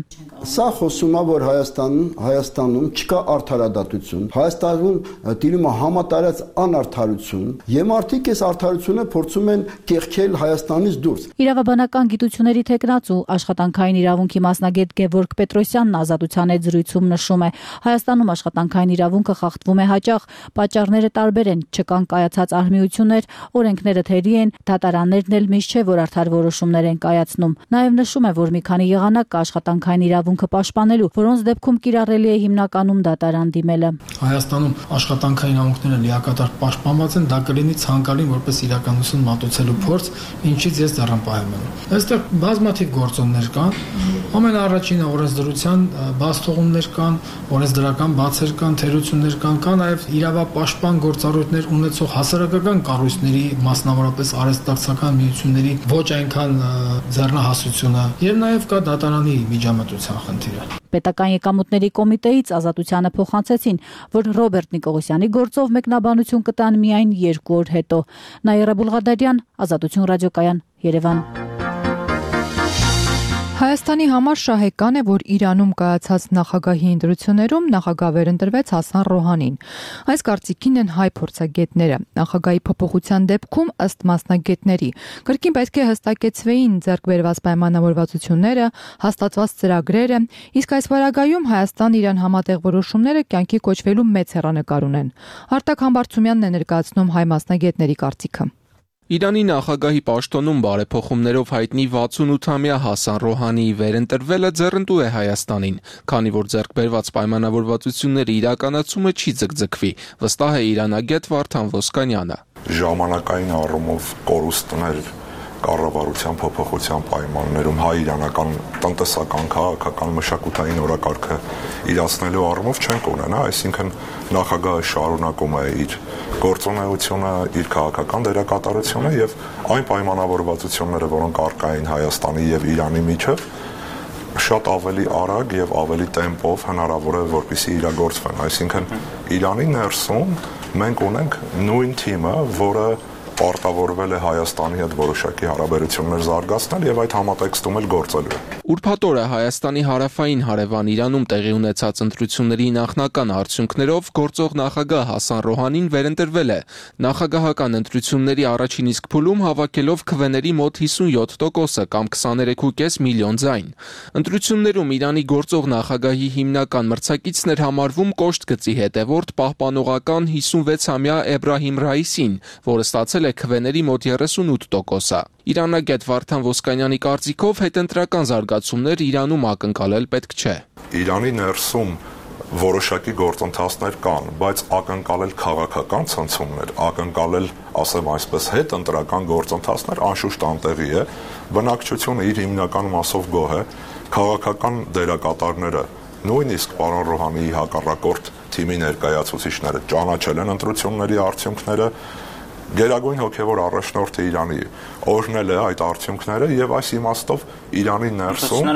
Սա խոսում է, որ Հայաստանում չկա արդարադատություն, Հայաստանում տիրում է համատարած անարդարություն, եւ մարդիկ այս արդարությունը փորձում են կեղքել Հայաստանից դուրս։ Իրավաբանական գիտությունների թեկնածու աշխատանքային իրավունքի մասնագետ Գևորգ Պետրոսյանն Ազատության հետ զրույցում նշում է, Հայաստանում աշխատանքային իրավունքը խախտվում է հաճախ, պատճառները տարբեր են, չկան կայացած արհմիություններ, օրենքները թերի են, դատարաններն էլ միշտ չէ, որ արդար որոշումներ են կայացնում։ Նաև նշում է, որ մի քանի եղանակ կա աշխատանքային իրավունքը պաշտպանելու, որոնց դեպքում կիրառելի է հիմնականում դատարան դիմելը։ Հայաստանում աշխատանքային իրավունքները լիակատար պաշտպանված են, դա կլինի ցանկալին որպես իրականություն մատուցելու փորձ, ինչից ես դեռ եմ։ Այստեղ բազմաթիվ գործոններ կան, ամենաառաջինը օրենսդրության բացթողումներ կան, օրենսդրական բացեր կան, թերություններ կան նաև իրավապաշտպան գործառույթներ ունեցող հասարակական կառույցների, մասնավորապես արհեստակցական միությունների ոչ այնքան ձեռնահասությունը եւ նաև կա դատարանի միջամտության խնդիրը։ Պետական եկամուտների կոմիտեից Ազատությանը փոխանցեցին, որ Ռոբերտ Նիկողոսյանի գործով մեկնաբանություն կտան միայն 2 օր հետո։ Նաիրա Բուլղադարյան, Ազատություն ռադիոկայան, Երևան։ Հայաստանի համար շահեկան է, որ Իրանում կայացած նախագահի ընտրություններում նախագահ վերընտրվեց Հասան Ռոհանին։ Այս կարծիքին են հայ փորձագետները։ Նախագահի փոփոխության դեպքում, ըստ մասնագետների, կրկին պետք է հստակեցվեին ձեռք բերված պայմանավորվածությունները, հաստատված ծրագրերը, իսկ այս վարագայում Հայաստան-Իրան համատեղ որոշումները կյանքի կոչվելու մեծ հեռանկար ունեն։ Արտակ Համբարձումյանն է ներկայացնում հայ մասնագետների կարծիքը։ Իրանի նախագահի պաշտոնում բարեփոխումներով հայտնի 68-ամյա Հասան Ռոհանիի վերընտրվելը ձեռնտու է Հայաստանին, քանի որ ձեռք բերված պայմանավորվածությունների իրականացումը չի ձգձգվի, վստահ է իրանագետ Վարդան Ոսկանյանը։ Ժամանակային առումով կորուստներ կառավարության փոփոխության պայմաններում հայ-իրանական տնտեսական, քաղաքական, մշակութային օրակարգը իրացնելու առումով չենք ունենա, այսինքն նախագահը շարունակում է իր գործունեությունը, իր քաղաքական դերակատարությունը եւ այն պայմանավորվածությունները, որոնք առկա են Հայաստանի եւ Իրանի միջև, շատ ավելի արագ եւ ավելի տեմպով հնարավոր է որպեսզի իրագործվեն, այսինքն Իրանի ներսում մենք ունենք նույն թիմը, որը պարտավորվել է Հայաստանի հետ որոշակի հարաբերություններ զարգացնել եւ այդ համատեքստում էլ գործելու է։ Ուրբաթ օրը Հայաստանի հարավային հարևան Իրանում տեղի ունեցած ընտրությունների նախնական արդյունքներով գործող նախագահ Հասան Ռոհանին վերընտրվել է։ Նախագահական ընտրությունների առաջին իսկ փուլում հավաքելով քվեների մոտ 57%-ը կամ 23.5 միլիոն ձայն։ Ընտրություններում Իրանի գործող նախագահի հիմնական մրցակիցն էր համարվում կոշտ գծի հետևորդ պահպանողական 56-ամյա Էբրահիմ Ռայիսին, որը ստացել է քվեների մոտ 38%-ը։ Իրանագետ Վարդան Ոսկանյանի կարծիքով հետընտրական զարգացումներ Իրանում ակնկալել պետք չէ։ Իրանի ներսում որոշակի գործընթացներ կան, բայց ակնկալել քաղաքական ցնցումներ, ակնկալել, ասեմ այսպես, հետընտրական գործընթացներ անշուշտ անտեղի է։ Բնակչությունը իր հիմնական մասով գոհ է, քաղաքական դերակատարները, նույնիսկ պարոն Ռոհանիի հակառակորդ թիմի ներկայացուցիչները ճանաչել են ընտրությունների արդյունքները, Գերագույն հոգևոր առաջնորդը Իրանի օրհնել է այդ արդյունքները եւ այս իմաստով Իրանի ներսում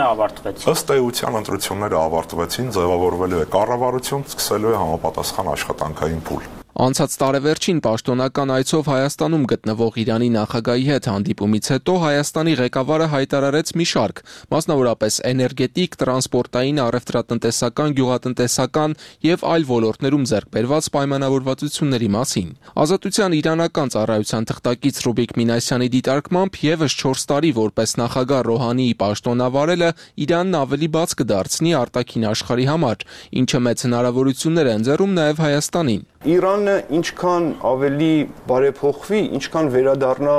ըստ էության ընտրությունները ավարտվեցին, ձևավորվելու է կառավարություն, սկսելու է համապատասխան աշխատանքային փուլ։ Անցած տարեվերջին պաշտոնական այցով Հայաստանում գտնվող Իրանի նախագահի հետ հանդիպումից հետո Հայաստանի ղեկավարը հայտարարեց մի շարք, մասնավորապես էներգետիկ, տրանսպորտային, առևտրատնտեսական, գյուղատնտեսական եւ այլ ոլորտներում ձեռք բերված պայմանավորվածությունների մասին։ Ազատության իրանական ծառայության թղթակից Ռուբիկ Մինասյանի դիտարկմամբ եւս 4 տարի որպես նախագահ Ռոհանիի պաշտոնավարելը Իրանն ավելի բաց կդարձնի արտաքին աշխարհի համար, ինչը մեծ հնարավորություններ է ընձեռում նաեւ Հայաստանին։ Իրանը ինչքան ավելի բարեփոխվի, ինչքան վերադառնա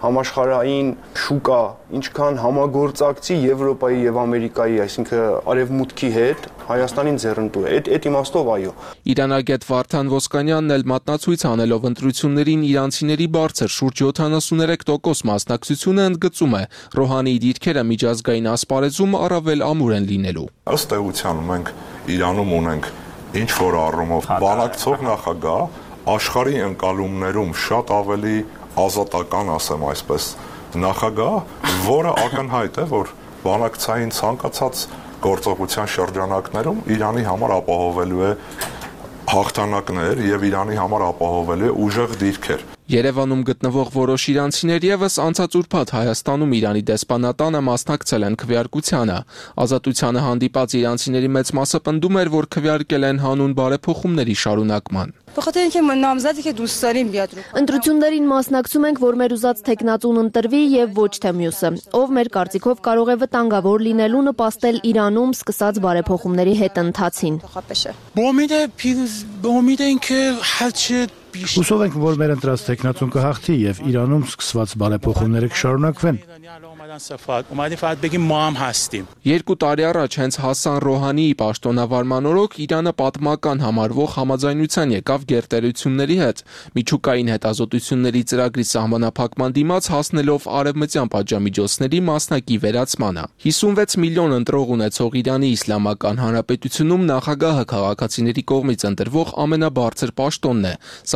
համաշխարհային շուկա, ինչքան համագործակցի Եվրոպայի եւ Ամերիկայի, այսինքն արևմուտքի հետ, Հայաստանին ձեռնտու է։ Այդ իմաստով այո։ Իրանագետ Վարդան Ոսկանյանն էլ մատնացույց անելով ընտրություններին իրանցիների բարձր շուրջ 73% մասնակցությունը ընդգծում է Ռոհանիի դիրքերը միջազգային ասպարեզում առավել ամուր են լինելու։ Ըստ էության մենք Իրանում ունենք ինչ որ առումով բանակցող նախագահ, աշխարհի ընկալումներում շատ ավելի ազատական, ասեմ այսպես, նախագահ, որը ակնհայտ է, որ բանակցային ցանկացած գործողության շրջանակներում Իրանի համար ապահովելու է հաղթանակներ եւ Իրանի համար ապահովելու է ուժեղ դիրքեր։ Երևանում գտնվող որոշ իրանցիներ եւս անցած ուրբաթ Հայաստանում Իրանի դեսպանատանը մասնակցել են քվեարկությանը։ Ազատությանը հանդիպած իրանցիների մեծ մասը պնդում էր, որ քվեարկել են հանուն բարեփոխումների շարունակման։ Ընտրություններին մասնակցում ենք, որ մեր ուզած թեկնածուն ընտրվի եւ ոչ թե մյուսը, ով մեր կարծիքով կարող է վտանգավոր լինելու նպաստել Իրանում սկսած բարեփոխումների հետընթացին։ Հուսով ենք, որ մեր ընտրած թեկնածուն կհաղթի եւ Իրանում սկսված բարեփոխումները կշարունակվեն։ 2 տարի առաջ հենց Հասան Ռոհանիի պաշտոնավարման օրոք Իրանը պատմական համարվող համաձայնության եկավ գերտերությունների հետ միջուկային հետազոտությունների ծրագրի սահմանափակման դիմաց հասնելով արևմտյան պատժամիջոցների մասնակի վերացմանը։ 56 միլիոն ընտրող ունեցող Իրանի Իսլամական Հանրապետությունում նախագահը քաղաքացիների կողմից ընտրվող ամենաբարձր պաշտոնն է,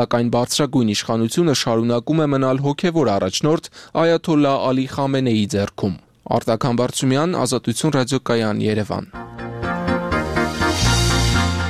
սակայն բարձրագույն իշխանությունը շարունակում է մնալ հոգևոր առաջնորդ Այաթոլլահ Ալի Խամենեիի ձեռքում։ Արտակ Համբարձումյան, Ազատություն ռադիոկայան, Երևան։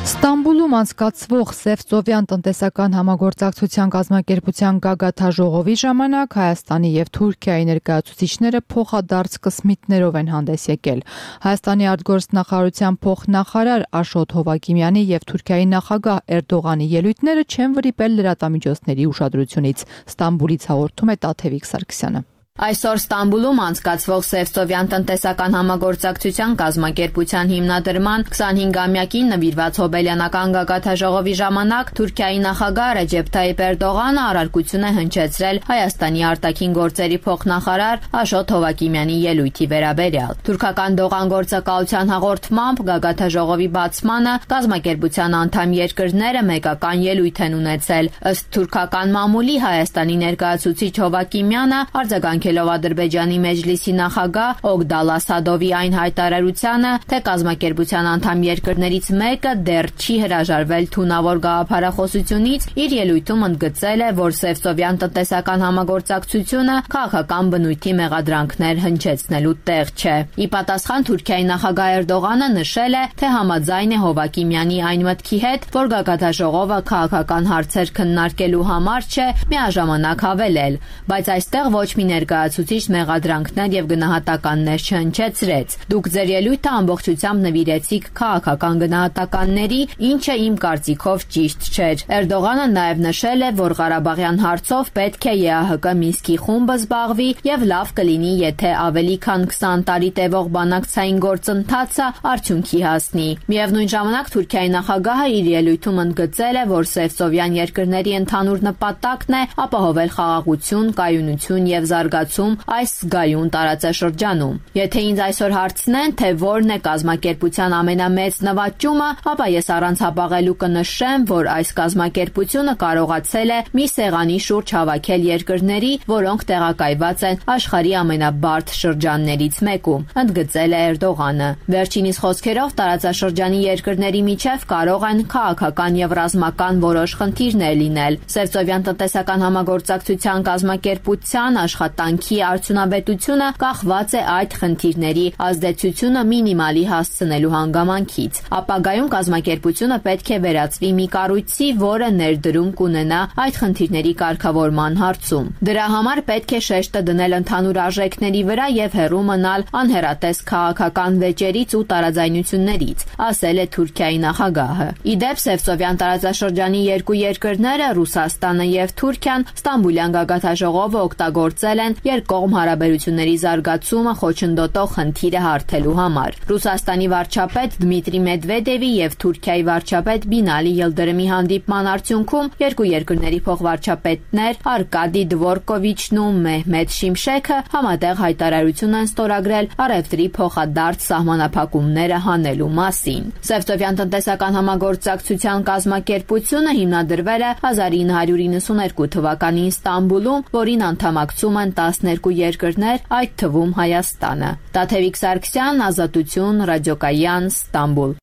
Ստամբուլում անցկացվող Սևծովյան տնտեսական համագործակցության կազմակերպության գագաթաժողովի ժամանակ Հայաստանի եւ Թուրքիայի ներկայացուցիչները փոխադարձ կսմիթներով են հանդես եկել։ Հայաստանի արտգործնախարարության փոխնախարար Աշոտ Հովակիմյանի եւ Թուրքիայի նախագահ Էրդողանի ելույթները չեն վրիպել լրատվամիջոցների ուշադրությունից։ Ստամբուլից հաղորդում է Տաթևիկ Սարգսյանը։ Այսօր Ստամբուլում անցկացվող Սևծովյան տնտեսական համագործակցության կազմակերպության հիմնադրման 25-ամյակին նվիրված հոբելյանական գագաթաժողովի ժամանակ Թուրքիայի նախագահ Ռեջեփ Թայիփ Էրդողանը առարկություն է հնչեցրել Հայաստանի արտաքին գործերի փոխնախարար Աշոտ Հովակիմյանի ելույթի վերաբերյալ։ Թուրքական դողանգործակալության հաղորդմամբ գագաթաժողովի բացմանը կազմակերպության անդամ երկրները մեկական ելույթ են ունեցել։ Ըստ թուրքական մամուլի Հայաստանի ներկայացուցիչ Հովակիմյանը արձագանքելով Ադրբեջանի մեջլիսի նախագահ Օգդալ Ասադովի այն հայտարարությանը, թե կազմակերպության անդամ երկրներից մեկը դեռ չի հրաժարվել թունավոր գաղափարախոսությունից, իր ելույթում ընդգծել է, որ Սևծովյան տնտեսական համագործակցությունը քաղաքական բնույթի մեղադրանքներ հնչեցնելու տեղ չէ։ Ի պատասխան Թուրքիայի նախագահ Էրդողանը նշել է, թե համաձայն է Հովակիմյանի այն մտքի հետ, որ գագաթաժողովը քաղաքական հարցեր քննարկելու համար չէ, միաժամանակ հավելել, բայց այստեղ ոչ մի ներկայացուցիչ մեղադրանքներ եւ գնահատականներ չհնչեցրեց։ Դուք ձեր ելույթը ամբողջությամբ նվիրեցիք քաղաքական գնահատականների, ինչը իմ կարծիքով ճիշտ չէր։ Էրդողանը նաեւ նշել է, որ Ղարաբաղյան հարցով պետք է ԵԱՀԿ Մինսկի խումբը զբաղվի եւ լավ կլինի, եթե ավելի քան 20 տարի տևող բանակցային գործընթացը արդյունքի հասնի։ Միևնույն ժամանակ Թուրքիայի նախագահը իր ելույթում ընդգծել է, որ Սևծովյան երկրների ընդհանուր նպատակն է ապահովել խաղաղություն, կայունություն եւ զարգացում այս զգայուն տարածաշրջանում։ Եթե ինձ այսօր հարցնեն, թե որն է կազմակերպության ամենամեծ նվաճումը, ապա ես առանց հապաղելու կնշեմ, որ այս կազմակերպությունը կարողացել է մի սեղանի շուրջ հավաքել երկրների, որոնք տեղակայված են աշխարհի ամենաբարդ շրջաններից մեկում, ընդգծել է Էրդողանը։ Վերջինիս խոսքերով տարածաշրջանի երկրների միջև կարող են քաղաքական եւ ռազմական որոշ խնդիրներ լինել։ Սևծովյան տնտեսական համագործակցության կազմակերպության աշխատանքի արդյունավետությունը կախված է այդ խնդիրների ազդեցությունը մինիմալի հասցնելու հանգամանքից։ Ապագայում կազմակերպությունը պետք է վերածվի մի կառույցի, որը ներդրում կունենա այդ խնդիրների կարգավորման հարցում։ Դրա համար պետք է շեշտը դնել ընդհանուր արժեքների վրա եւ հեռու մնալ անհեռատես քաղաքական վեճերից ու տարաձայնություններից, ասել է Թուրքիայի նախագահը։ Իդեպ Սևծովյան տարածաշրջանի երկու երկրները, Ռուսաստանը եւ Թուրքիան, Ստամբուլյան գագաթաժողովը օգտագործել են երկկողմ հարաբերությունների զարգացումը խոչընդոտող խնդիրը հարթելու համար։ Ռուսաստանի վարչապետ Դմիտրի Մեդվեդևի եւ Թուրքիայի վարչապետ Բինալի Յիլդրիմի հանդիպման արդյունքում երկու երկրների փոխվարչապետներ Արկադի Դվորկովիչն ու Մեհմեդ Շիմշեքը համատեղ հայտարարություն են ստորագրել առևտրի փոխադարձ սահմանափակումները հանելու մասին։ Սևծովյան տնտեսական համագործակցության կազմակերպությունը հիմնադրվել է 1992 թվականին Ստամբուլում, որին անդամակցում են 12 երկրներ, այդ թվում Հայաստանը։ Տաթևիկ Սարգսյան, Ազատություն, ռադիոկայան, Ստամբուլ։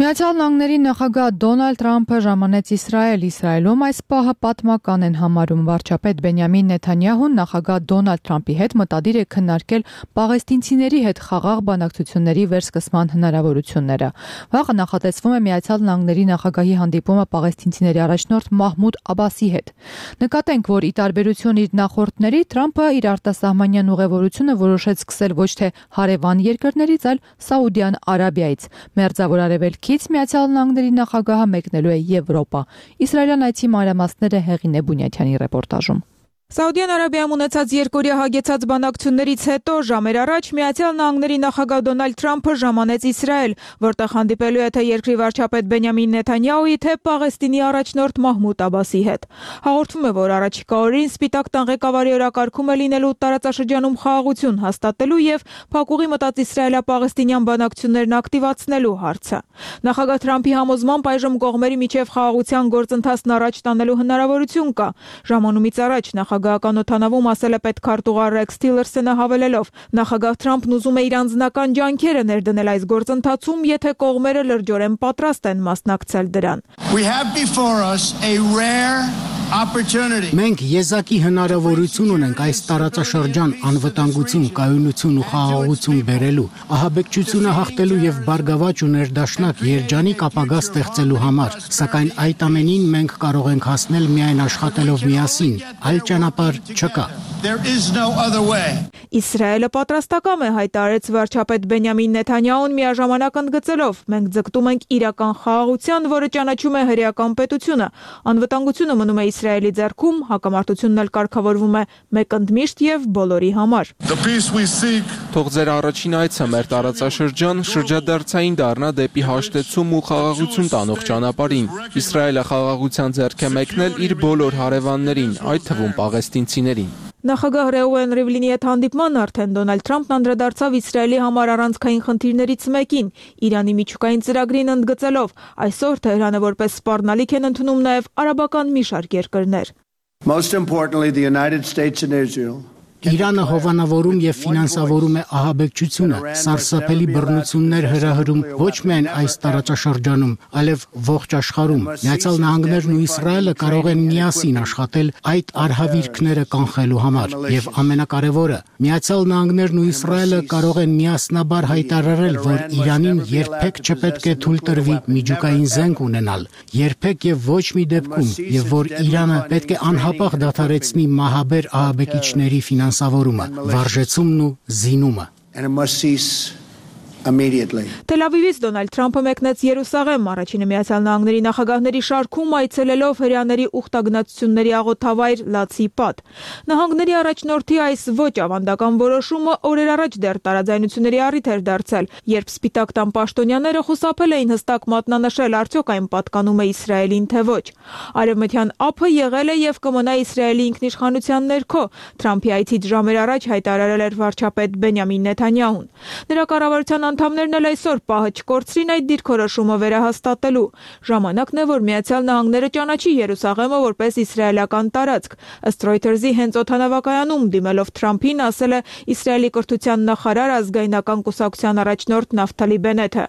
Միացյալ Նահանգների նախագահ Դոնալդ Թրամփը ժամանեց Իսրայել։ Իսրայելում այս պահը պատմական են համարում վարչապետ Բենյամին Նեթանյահուն նախագահ Դոնալդ Թրամփի հետ մտադիր է քննարկել պաղեստինցիների հետ խաղաղ բանակցությունների վերսկսման հնարավորությունները։ Վաղը նախատեսվում է Միացյալ Նահանգների նախագահի հանդիպումը պաղեստինցիների առաջնորդ Մահմուդ Աբասի հետ։ Նկատենք, որ ի տարբերություն իր նախորդների Թրամփը իր արտասահմանյան ուղևորությունը որոշեց սկսել ոչ թե հարևան երկրներից, այլ Սաուդյան Արաբիայից։ Մերձավոր Արևելքի Միացյալ Նահանգների նախագահը մեկնելու է Եվրոպա։ Իսրայելյան այցի մանրամասները Հեղինե Բունյաթյանի ռեպորտաժում։ Սաուդյան Արաբիայում ունեցած երկօրյա հագեցած բանակցություններից հետո ժամեր առաջ Միացյալ Նահանգների նախագահ Դոնալդ Թրամփը ժամանեց Իսրայել, որտեղ հանդիպելու է թե երկրի վարչապետ Բենյամին Նեթանյահուի, թե Պաղեստինի առաջնորդ Մահմուդ Աբասի հետ։ Հաղորդվում է, որ առաջիկա օրերին Սպիտակ տան ղեկավարի օրակարգում է լինելու տարածաշրջանում խաղաղություն հաստատելու եւ փակուղի մտած իսրայելա-պաղեստինյան բանակցություններն ակտիվացնելու հարցը։ Նախագահ Թրամփի համոզմամբ այժմ կողմերի միջև խաղաղության գործընթացն առաջ տանելու հնարավորություն կա։ Ժամանումից առաջ նախագահական օդանավում ասել է պետքարտուղար Ռեքս Թիլերսոնը հավելելով. նախագահ Թրամփն ուզում է իր անձնական ջանքերը ներդնել այս գործընթացում, եթե կողմերը լրջորեն պատրաստ են մասնակցել դրան։ Մենք եզակի հնարավորություն ունենք այս տարածաշրջան անվտանգություն, կայունություն ու խաղաղություն բերելու, ահաբեկչությունը հաղթելու եւ բարգավաճ ու ներդաշնակ երջանիկ ապագա ստեղծելու համար, սակայն այդ ամենին մենք կարող ենք հասնել միայն աշխատելով միասին, այլ ճանապարհ չկա։ Իսրայելը պատրաստակամ է, հայտարարեց վարչապետ Բենյամին Նեթանյահուն միաժամանակ ընդգծելով. մենք ձգտում ենք իրական խաղաղության, որը ճանաչում է հրեական պետությունը։ Անվտանգությունը մնում է Իսրայելի ձեռքում, հակամարտությունն էլ կարգավորվում է մեկընդմիշտ եւ բոլորի համար։ Թող ձեր առաջին այցը մեր տարածաշրջան շրջադարձային դառնա դեպի հաշտեցում ու խաղաղություն տանող ճանապարհին։ Իսրայելը խաղաղության ձեռք է մեկնել իր բոլոր հարևաններին, այդ թվում պաղեստինցիներին։ Նախագահ Ռեուեն Ռիվլինի հետ հանդիպման արդեն Դոնալդ Թրամփն անդրադարձավ Իսրայելի համար առանցքային խնդիրներից մեկին՝ Իրանի միջուկային ծրագրին ընդգծելով. այսօր Թեհրանը որպես սպառնալիք են ընդունում նաև արաբական մի շարք երկրներ։ Իրանը հովանավորում եւ ֆինանսավորում է ահաբեկչությունը, սարսափելի բռնություններ հրահրում ոչ միայն այս տարածաշրջանում, այլև ողջ աշխարհում։ Միացյալ Նահանգներն ու Իսրայելը կարող են միասին աշխատել այդ արհավիրքները կանխելու համար։ Եվ ամենակարևորը, Միացյալ Նահանգներն ու Իսրայելը կարող են միասնաբար հայտարարել, որ Իրանին երբեք չպետք է թույլ տրվի միջուկային զենք ունենալ, երբեք եւ ոչ մի դեպքում, եւ որ Իրանը պետք է անհապաղ դադարեցնի մահաբեր ահաբեկիչների ֆինանսավորումը, վարժեցումն ու զինումը։ Թել Ավիվից Դոնալդ Թրամփը մեկնեց Երուսաղեմ, առաջինը Միացյալ Նահանգների նախագահների շարքում այցելելով հրեաների ուխտագնացությունների աղոթավայր Լացի Պատ։ Նահանգների առաջնորդի այս ոչ ավանդական որոշումը օրեր առաջ դեռ տարաձայնությունների առիթ էր դարձել, երբ Սպիտակ տան պաշտոնյաները խուսափել էին հստակ մատնանշել արդյոք այն պատկանում է Իսրայելին թե ոչ։ Արևմտյան ափը եղել է եւ կմնա Իսրայելի ինքնիշխանության ներքո, Թրամփի այցից ժամեր առաջ հայտարարել էր վարչապետ Բենյամին Նեթանյահուն։ Նրա կառավարության անդամներն էլ այսօր պահը չկորցրին այդ դիրքորոշումը վերահաստատելու։ Ժամանակն է, որ Միացյալ Նահանգները ճանաչի Երուսաղեմը որպես իսրայելական տարածք։ Ըստ Reuters-ի հենց օդանավակայանում դիմելով Թրամփին ասել է Իսրայելի կրթության նախարար ազգայնական կուսակցության առաջնորդ Նավթալի Բենեթը։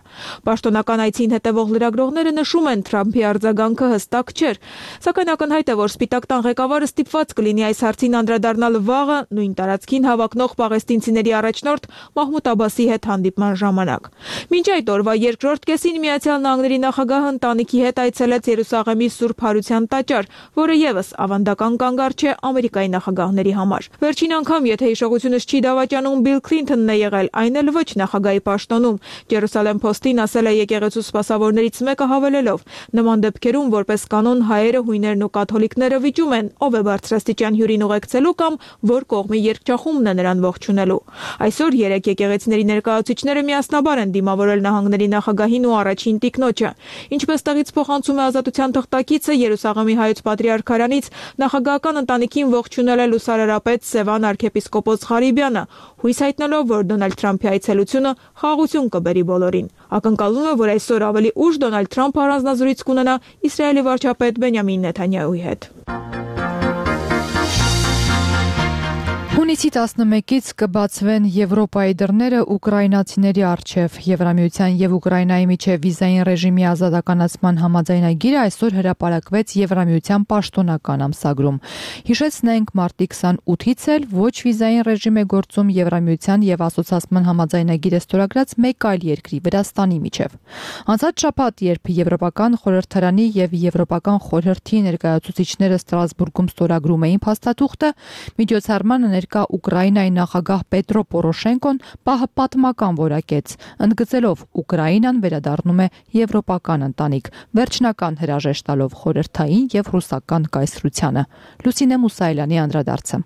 Պաշտոնական այցին հետևող լրագրողները նշում են Թրամփի արձագանքը հստակ չէր, սակայն ակնհայտ է, որ Սպիտակ տան ղեկավարը ստիպված կլինի այս հարցին անդրադառնալ վաղը նույն տարածքին հավակնող պաղեստինցիների առաջնորդ Մահմուդ Աբասի հետ հանդիպման ժամանակ։ Մինչ այդ օրվա երկրորդ կեսին Միացյալ Նահանգների նախագահը ընտանիքի հետ այցելեց Երուսաղեմի Սուրբ Հարության տաճար, որը եւս ավանդական կանգառ չէ Ամերիկայի նախագահների համար։ Վերջին անգամ, եթե հիշողությունս չի դավաճանում, Բիլ Քլինթոնն է եղել, այն էլ ոչ նախագահի պաշտոնում։ Jerusalem Post-ին ասել է եկեղեցու սպասավորներից մեկը հավելելով. նման դեպքերում որպես կանոն հայերը, հույներն ու կաթոլիկները վիճում են, ով է բարձրաստիճան հյուրին ուղեկցելու կամ որ կողմի երգչախումբն է նրան ողջունելու։ Այսօր երեք եկեղեցիների ներկայացուցիչները միասնաբար են դիմավորել նահանգների նախագահին ու առաջին տիկնոջը։ Ինչպես տեղից փոխանցում է Ազատության թղթակիցը, Երուսաղեմի հայոց պատրիարքարանից նախագահական ընտանիքին ողջունել է լուսարարապետ Սևան arczepiskopos Ղարիբյանը, հույս հայտնելով, որ Դոնալդ Թրամփի այցելությունը խաղաղություն կբերի բոլորին։ Ակնկալվում է, որ այսօր ավելի ուշ Դոնալդ Թրամփը առանձնազրույց կունենա Իսրայելի վարչապետ Բենյամին Նեթանյահուի հետ։ Հունիսի 11-ից կբացվեն Եվրոպայի դռները ուկրաինացիների առջև։ Եվրամիության եւ Ուկրաինայի միջև վիզային ռեժիմի ազատականացման համաձայնագիրը այսօր հրապարակվեց Եվրամիության պաշտոնական ամսագրում։ Հիշեցնենք, մարտի 28-ից էլ ոչ վիզային ռեժիմ է գործում Եվրամիության եւ ասոցիացման համաձայնագիրը ստորագրած մեկ այլ երկրի՝ Վրաստանի միջև։ Անցած շաբաթ, երբ Եվրոպական խորհրդարանի եւ Եվրոպական խորհրդի ներկայացուցիչները Ստրասբուրգում ստորագրում էին փաստաթուղթը, միջոցառմանը ներկա Ուկրաինայի նախագահ Պետրո Պորոշենկոն պահը պատմական որակեց, ընդգծելով Ուկրաինան վերադառնում է եվրոպական ընտանիք, վերջնական հրաժեշտ տալով խորհրդային եւ ռուսական կայսրությանը։ Լուսինե Մուսայելյանի անդրադարձը։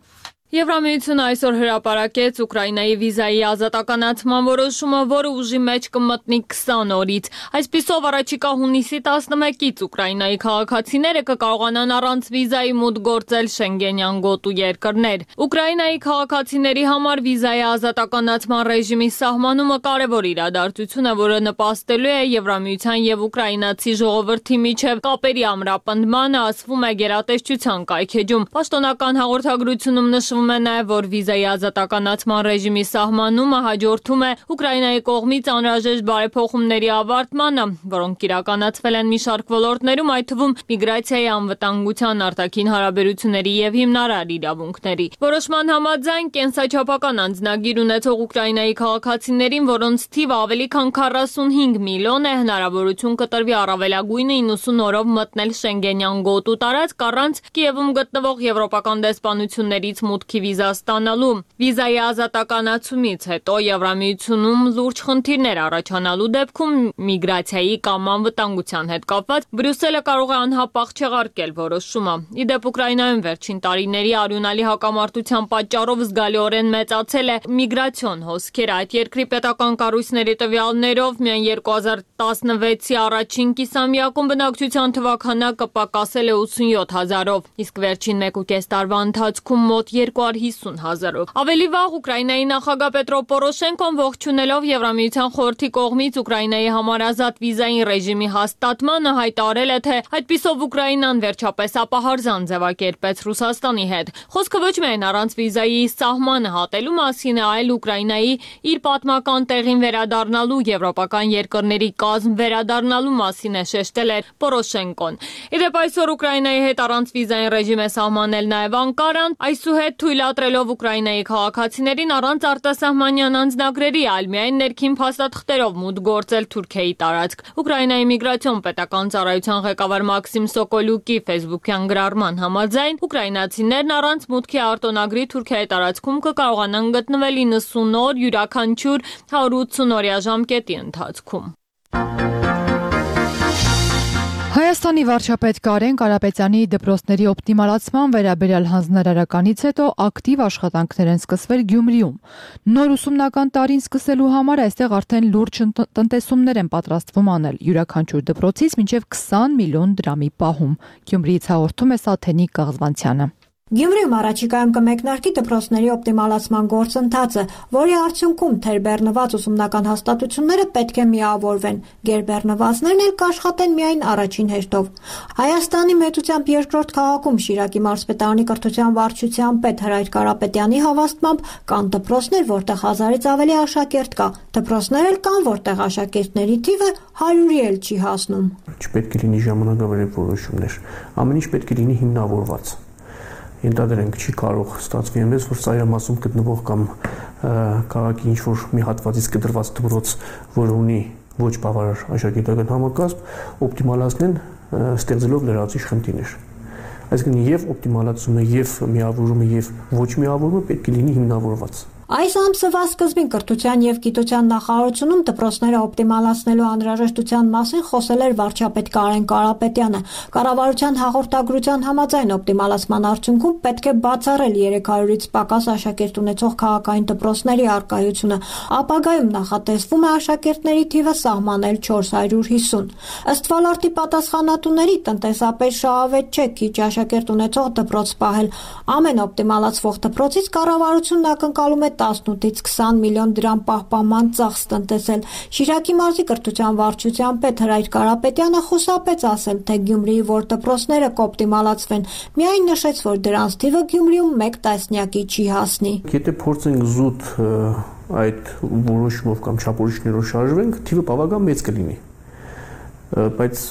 Եվրամիությունը այսօր հրապարակեց Ուկրաինայի վիզայի ազատականացման որոշումը, որը ուժի մեջ կմտնի 20 օրից։ Այսպիսով առաջիկա հունիսի 11-ից Ուկրաինայի քաղաքացիները կկարողանան առանց վիզայի մուտք գործել Շենգենյան գոտու երկրներ։ Ուկրաինայի քաղաքացիների համար վիզայի ազատականացման ռեժիմի սահմանումը կարևոր իրադարձություն է, որը նպաստելու է Եվրամիության եւ ուկրաինացի ժողովրդի միջև կապերի ամրապնդմանը, ասվում է գերատեսչության կայքեջում։ Պաշտոնական հաղորդագրությունում նշվում է նաև, որ վիզայի ազատականացման ռեժիմի սահմանումը հաջորդում է Ուկրաինայի կողմից անհրաժեշտ բարեփոխումների ավարտմանը, որոնք իրականացվել են մի շարք ոլորտներում, այդ թվում միգրացիայի, անվտանգության, արտաքին հարաբերությունների եւ հիմնարար իրավունքների։ Որոշման համաձայն կենսաչափական անձնագիր ունեցող Ուկրաինայի քաղաքացիներին, որոնց թիվը ավելի քան 45 միլիոն է, հնարավորություն կտրվի առավելագույնը 90 օրով մտնել Շենգենյան գոտու տարածք առանց Կիևում գտնվող եվրոպական դեսպանություններից մուտքի վիզա ստանալու։ Վիզայի ազատականացումից հետո Եվրամիությունում լուրջ խնդիրներ առաջանալու դեպքում միգրացիայի կամ անվտանգության հետ կապված Բրյուսելը կարող է անհապաղ չեղարկել որոշումը։ Իդեպ Ուկրաինայում վերջին տարիների արյունալի հակամարտության պատճառով զգալիորեն մեծացել է միգրացիոն հոսքերը։ Այդ երկրի պետական կառույցների տվյալներով միայն 2016-ի առաջին կիսամյակում բնակչության թվաքանակը պակասել է 87,000-ով, իսկ վերջին 1.5 տարվա ընթացքում մոտ 250,000-ով։ Ավելի վաղ Ուկրաինայի նախագահ Պետրո Պորոշենկոն ողջունելով Եվրամիության խորհրդի կողմից Ուկրաինայի համար ազատ վիզային ռեժիմի հաստատմանը հայտարարել է, թե այդպիսով Ուկրաինան վերջապես ապահարզան ձևակերպեց Ռուսաստանի հետ։ Խոսքը ոչ միայն առանց վիզայի սահմանը հատելու մասին է, այլ Ուկրաինայի իր պատմական տեղին վերադառնալու, եվրոպական երկրների կազմ վերադառնալու մասին է շեշտել է Պորոշենկոն։ Իդեպ այսօր Ուկրաինայի հետ առանց վիզային ռեժիմ է սահմանել նաև Անկարան, այսուհետ թույլատրելով Ուկրաինայի քաղաքացիներին առանց արտասահմանյան անձնագրերի, այլ միայն ներքին փաստաթղթերով մուտք գործել Թուրքիայի տարածք։ Ուկրաինայի միգրացիոն պետական ծառայության ղեկավար Մաքսիմ Սոկոլյուկի ֆեյսբուքյան գրառման համաձայն ուկրաինացիներն առանց մուտքի արտոնագրի Թուրքիայի տարածքում կկարողանան գտնվել 90 օր յուրաքանչյուր 180 օրյա ժամկետի ընթացքում։ Հայաստանի վարչապետ Կարեն Կարապետյանի դպրոցների օպտիմալացման վերաբերյալ հանձնարարականից հետո ակտիվ աշխատանքներ են սկսվել Գյումրիում։ Նոր ուսումնական տարին սկսելու համար այստեղ արդեն լուրջ տնտեսումներ են պատրաստվում անել, յուրաքանչյուր դպրոցից մինչև 20 միլիոն դրամի պահում։ Գյումրիից հաղորդում է Սաթենիկ Կաղզվանցյանը։ Գյումրիում առաջիկայում կմեկնարկի դպրոցների օպտիմալացման գործընթացը, որի արդյունքում թերբեռնված ուսումնական հաստատությունները պետք է միավորվեն, գերբեռնվածներն էլ կաշխատեն միայն առաջին հերթով։ Հայաստանի մեծությամբ երկրորդ քաղաքում Շիրակի մարզպետարանի կրթության վարչության պետ Հրայր Կարապետյանի հավաստմամբ կան դպրոցներ, որտեղ 1000-ից ավելի աշակերտ կա, դպրոցներ էլ կան, որտեղ աշակերտների թիվը 100-ի էլ չի հասնում։ Չպետք է լինի ժամանակավար որոշումներ, ամեն ինչ պետք է լինի հիմնավորված։ Ենթադրենք չի կարող ստացվի այնպես, որ ծայրամասում գտնվող կամ քաղաքի ինչ-որ մի հատվածից կտրված դպրոց, որը ունի ոչ բավարար աշակերտական համակարգ, օպտիմալացնեն ստեղծելով լրացուցիչ խնդիրներ։ Այսինքն եւ օպտիմալացումը, եւ միավորումը, եւ ոչ միավորումը պետք է լինի հիմնավորված։ Այս ամսվա սկզբին կրթության եւ գիտության նախարարությունում դպրոցները օպտիմալացնելու անհրաժեշտության մասին խոսել էր վարչապետ Կարեն Կարապետյանը։ Կառավարության հաղորդագրության համաձայն օպտիմալացման արդյունքում պետք է բացառել 300-ից պակաս աշակերտ ունեցող քաղաքային դպրոցների առկայությունը։ Ապագայում նախատեսվում է աշակերտների թիվը սահմանել 450։ Ըստ ոլորտի պատասխանատուների, տնտեսապես շահավետ չէ քիչ աշակերտ ունեցող դպրոց պահել։ Ամեն օպտիմալացվող դպրոցից կառավարությունն ակնկալում է 18-ից 20 միլիոն դրամ պահպանման ծախս տնտեսել։ Շիրակի մարզի կրթության վարչության պետ Հրայր Կարապետյանը խուսափեց ասել, թե Գյումրիի որ դպրոցները կօպտիմալացվեն, միայն նշեց, որ դրանց թիվը Գյումրիում 1 տասնյակի չի հասնի։ Եթե փորձենք զուտ այդ որոշումով կամ չափորոշիչներով շարժվենք, թիվը բավական մեծ կլինի։ Բայց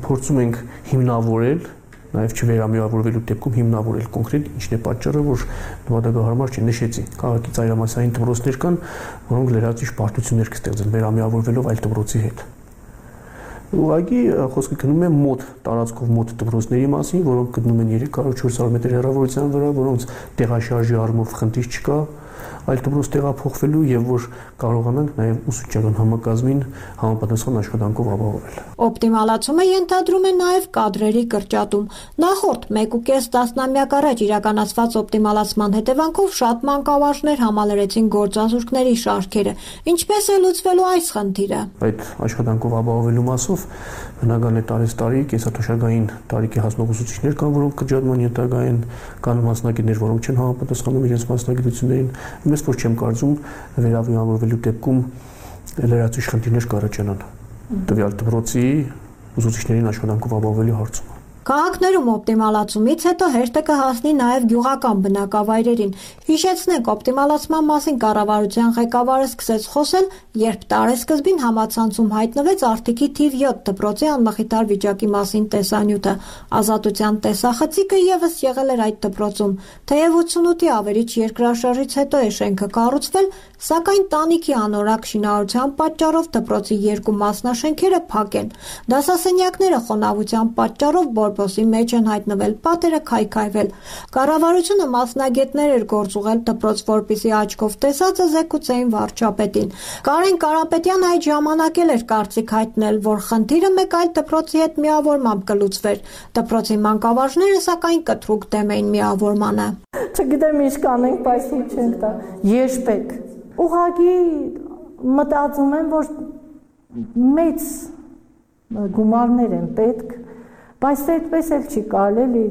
փորձում ենք հիմնավորել, նաև չվերամիավորվելու դեպքում հիմնավորել կոնկրետ ինչն է պատճառը, որ նպատակահարմար չի, նշեցի, քաղաքի ծայրամասային դպրոցներ կան, որոնք լրացուցիչ պարտություններ կստեղծեն վերամիավորվելով այլ դպրոցի հետ։ Ուղղակի խոսքը գնում է մոտ տարածքով մոտ դպրոցների մասին, որոնք գտնում են 300-400 մետր հեռավորության վրա, որոնց տեղաշարժի առումով խնդիր չկա, այլ դպրոց տեղափոխվելու եւ որ կարողանանք նաեւ ուսուցչական համակազմին համապատասխան աշխատանքով ապահովել։ Օպտիմալացումը ենթադրում է նաեւ կադրերի կրճատում։ Նախորդ 1.5 տասնամյակ առաջ իրականացված օպտիմալացման հետևանքով շատ մանկավարժներ համալրեցին գործազուրկների շարքերը։ Ինչպես է լուծվելու այս խնդիրը։ Այդ աշխատանքով ապահովելու մասով բնական է տարեստարի կեսաթոշակային տարիքի հասնող ուսուցիչներ կան, որոնք կրճատման ենթակա են, կան մասնագետներ, որոնք չեն համապատասխանում իրենց մասնագիտություններին։ Ես որ չեմ կարծում վերավիավորվելու դեպքում լրացուցիչ խնդիրներ կառաջանան տվյալ դպրոցի ուսուցիչներին աշխատանքով ապահովելու հարցում։ Քաղաքներում օպտիմալացումից հետո հերթը կհասնի նաև գյուղական բնակավայրերին։ Հիշեցնենք, օպտիմալացման մասին կառավարության ղեկավարը սկսեց խոսել, երբ տարեսկզբին համացանցում հայտնվեց Արտիքի թիվ 7 դպրոցի անմխիթար վիճակի մասին տեսանյութը։ Ազատության տեսախցիկը եւս եղել էր այդ դպրոցում։ Թեև 88-ի ավերիչ երկրաշարժից հետո է շենքը կառուցվել, սակայն տանիքի անորակ շինարարության պատճառով դպրոցի 2 մասնաշենքերը փակ են։ Դասասենյակները խոնավության պատճառով բորբոսի մեջ են հայտնվել, պատերը քայքայվել։ Կառավարությունը մասնագետներ էր գործուղել դպրոց, որպիսի աչքով տեսածը զեկուցեին վարչապետին։ Կարեն Կարապետյանը այդ ժամանակ էր կարծիք հայտնել, որ խնդիրը մեկ այլ դպրոցի հետ միավորմամբ կլուծվեր։ Դպրոցի մանկավարժները սակայն կտրուկ դեմ էին միավորմանը։ Չգիտեմ ինչ կանենք, բայց ինչ ենք տա։ Երբեք։ Ուղղակի մտածում եմ, որ մեծ գումարներ են պետք, բայց այդպես էլ չի կարելի,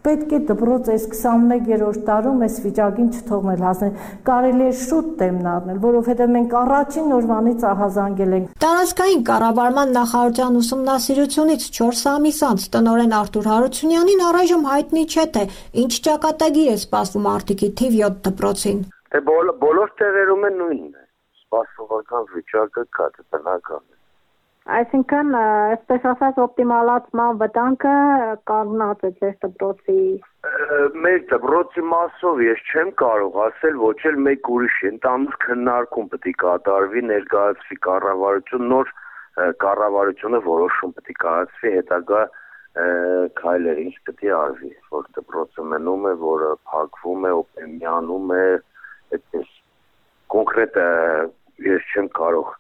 պետք է դպրոց այս 21-րդ տարում այս վիճակին չթողնել հասնել, կարելի է շուտ դեմն առնել, որովհետև մենք առաջին օրվանից ահազանգել ենք։ Տարածքային կառավարման նախարարության ուսումնասիրությունից 4 ամիս անց տնօրեն Արտուր Հարությունյանին առայժմ հայտնի չէ, թե ինչ ճակատագիր է սպասվում Արտիքի թիվ 7 դպրոցին։ Բոլոր տեղերում է նույնն է, սպասողական վիճակը կա, բնական է։ Այսինքն, այսպես ասած, օպտիմալացման վտանգը կանգնած է ձեր դպրոցի։ Մեր դպրոցի մասով ես չեմ կարող ասել, ոչ էլ մեկ ուրիշ ընդհանուր քննարկում պետք է կատարվի, ներկայացվի կառավարություն, նոր կառավարությունը որոշում պետք է կայացվի, հետագա քայլեր ինչ պետք է արվի, որ դպրոցը մնում է, որը փակվում է, օպտիմանում է, այդպես կոնկրետ ես չեմ կարող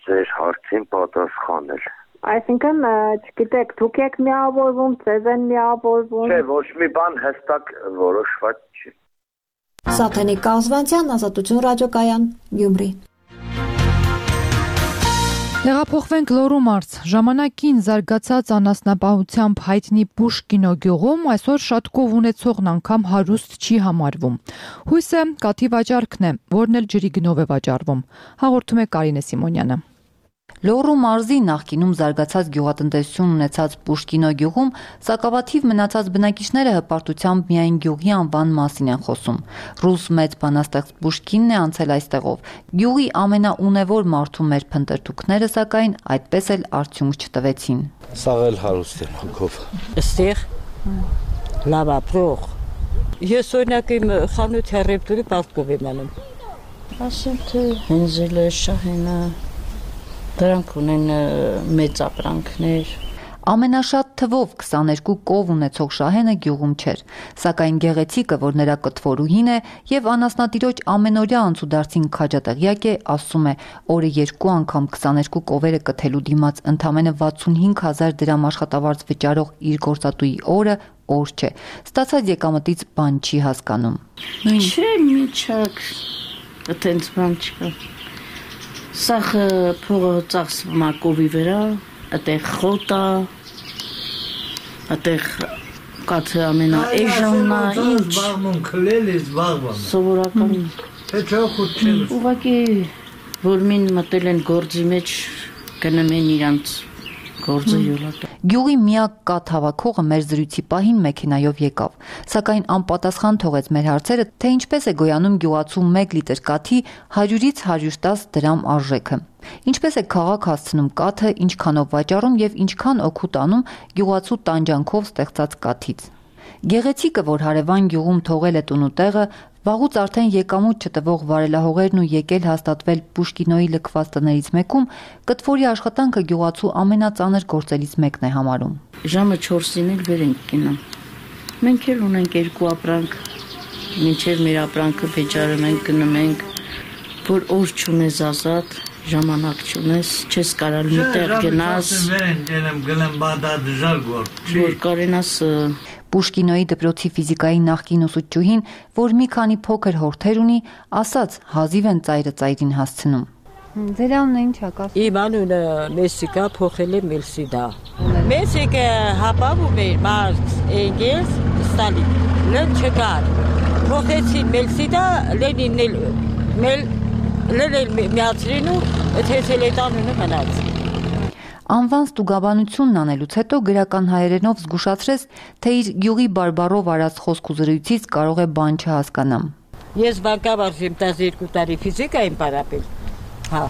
ձեր հարցին պատասխանել։ Այսինքն, չգիտեք, դուք եք միավորվում, ձեզ են միավորվում։ Չէ, ոչ մի բան հստակ որոշված չի։ Սաթենիկ Կազվանցյան, Ազատություն ռադիոկայան, Գյումրի։ Տեղափոխվենք Լոռու մարզ։ Ժամանակին զարգացած անասնապահությամբ հայտնի Պուշկինո գյուղում այսօր շատ կով ունեցողն անգամ հարուստ չի համարվում։ Հույսը կաթի վաճառքն է, որն էլ ջրի գնով է վաճառվում։ Հաղորդում է Կարինե Սիմոնյանը։ Լոռու մարզի նախկինում զարգացած գյուղատնտեսություն ունեցած Պուշկինո գյուղում սակավաթիվ մնացած բնակիչները հպարտությամբ միայն գյուղի անվան մասին են խոսում։ Ռուս մեծ բանաստեղծ Պուշկինն է անցել այստեղով։ Գյուղի ամենաունևոր մարդու մեր փնտրտուքները սակայն այդպես էլ արդյունք չտվեցին։ Սաղ էլ հարուստ եմ հոգով։ Այստեղ լավ ապրող։ Ես օրինակ իմ խանութ հեռևտուրի պարտքով եմ անում։ Ասեմ թե հենզելը, շահենը դրանք ունեն մեծ ապրանքներ։ Ամենաշատ թվով 22 կով ունեցող Շահենը գյուղում չէր, սակայն գեղեցիկը, որ նրա կտվորուհին է եւ անասնատիրոջ ամենօրյա անցուդարձին քաջատեղյակ է, ասում է, օրը 2 անգամ 22 կովերը կթելու դիմաց ընդամենը 65,000 դրամ աշխատավարձ վճարող իր գործատուի օրը օր չէ։ Ստացած եկամտից բան չի հասկանում։ Չէ, միչակ, այդպես բան չկա։ Սախ փողը ծախսվում է կովի վրա, այդտեղ խոտա, այդտեղ կաթը ամենաէժանն է, ինչ։ Զբաղվում քլել է զբաղվում։ Սովորական Ուղղակի որ մին մտել են գործի մեջ գնում են իրանց գործը յոլատը։ Գյուղի միակ կաթ հավաքողը մեր զրույցի պահին մեքենայով եկավ, սակայն անպատասխան թողեց մեր հարցերը, թե ինչպես է գոյանում գյուղացու 1 լիտր կաթի 100-ից 110 դրամ արժեքը։ Ինչպես է քաղաք հասցնում կաթը, ինչքանով վաճառում եւ ինչքան օգուտ անում գյուղացու տանջանքով ստեղծած կաթից։ Գեղեցիկը, որ հարևան գյուղում թողել է տունուտեղը, վաղուց արդեն եկամուտ չտվող վարելահողերն ու եկել հաստատվել Պուշկինոյի լքված տներից մեկում, կտվորի աշխատանքը գյուղացու ամենածանր գործերից մեկն է համարում։ Ժամը 4-ին էլ վեր ենք գնում։ Մենք էլ ունենք 2 ապրանք, մինչև մեր ապրանքը վեճարում ենք, գնում ենք, որ օր չունես ազատ, ժամանակ չունես, չես կարալ միտեղ գնաս, որ կարենաս Պուշկինոյի դպրոցի ֆիզիկայի նախկին ուսուցչուհին, որ մի քանի փոքր հորթեր ունի, ասաց հազիվ են ծայրը ծայրին հասցնում։ Ձեր անունը ինչ է կասում։ Իմ անունը Մեսիկա, փոխել է Մելսիդա։ Մեսիկը հապավում էր Մարքս, Էնգելս, Ստալին։ Լեն չկար։ Փոխեցին Մելսիդա, Լենին միացրին ու թեցել այդ անունը մնաց։ Անվան ստուգաբանությունն անելուց հետո գրական հայերենով զգուշացրեց, թե իր գյուղի բարբառով արած խոսք ու զրույցից կարող է բան չհասկանամ։ Ես բանկավարժ եմ 12 տարի ֆիզիկա եմ պարապել։ Հա։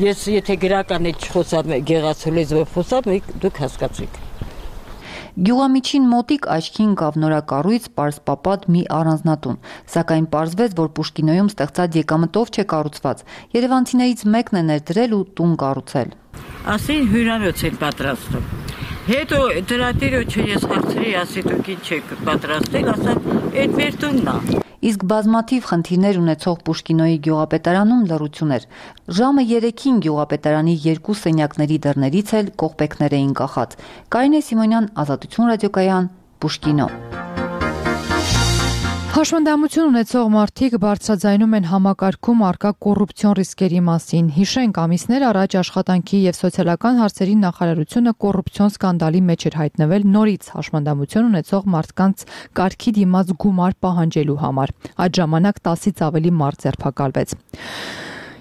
Ես եթե գրական էլ չխոսամ, գեղացու լեզվով խոսամ, դուք հասկացեք։ Գյուղամիջին մոտիկ աչքին կավ նորակառույց պարսպապատ մի առանձնատուն, սակայն պարզվեց, որ Պուշկինոյում ստեղծած եկամտով չէ կառուցված, երևանցիներից մեկն է ներդրել ու տուն կառուցել։ Ասին հյուրանոց են պատրաստում։ Հետո դրա տիրոջը ես հարցրի, ասի դուք ինչ եք պատրաստել, ասամ, այդ մեր տունն է։ Իսկ բազմաթիվ խնդիրներ ունեցող Պուշկինոյի գյուղապետարանում լռություն էր։ Ժամը 3-ին գյուղապետարանի 2 սենյակների դռներից էլ կողպեքներ էին կախած։ Կարինե Սիմոնյան, Ազատություն ռադիոկայան, Պուշկինո։ Հաշմանդամություն ունեցող մարդիկ բարձրաձայնում են համակարգում առկա կոռուպցիոն ռիսկերի մասին։ Հիշենք, ամիսներ առաջ աշխատանքի եւ սոցիալական հարցերի նախարարությունը կոռուպցիոն սկանդալի մեջ էր հայտնվել նորից հաշմանդամություն ունեցող մարդկանց կարգի դիմաց գումար պահանջելու համար։ Այդ ժամանակ 10-ից ավելի մարդ ձերբակալվեց։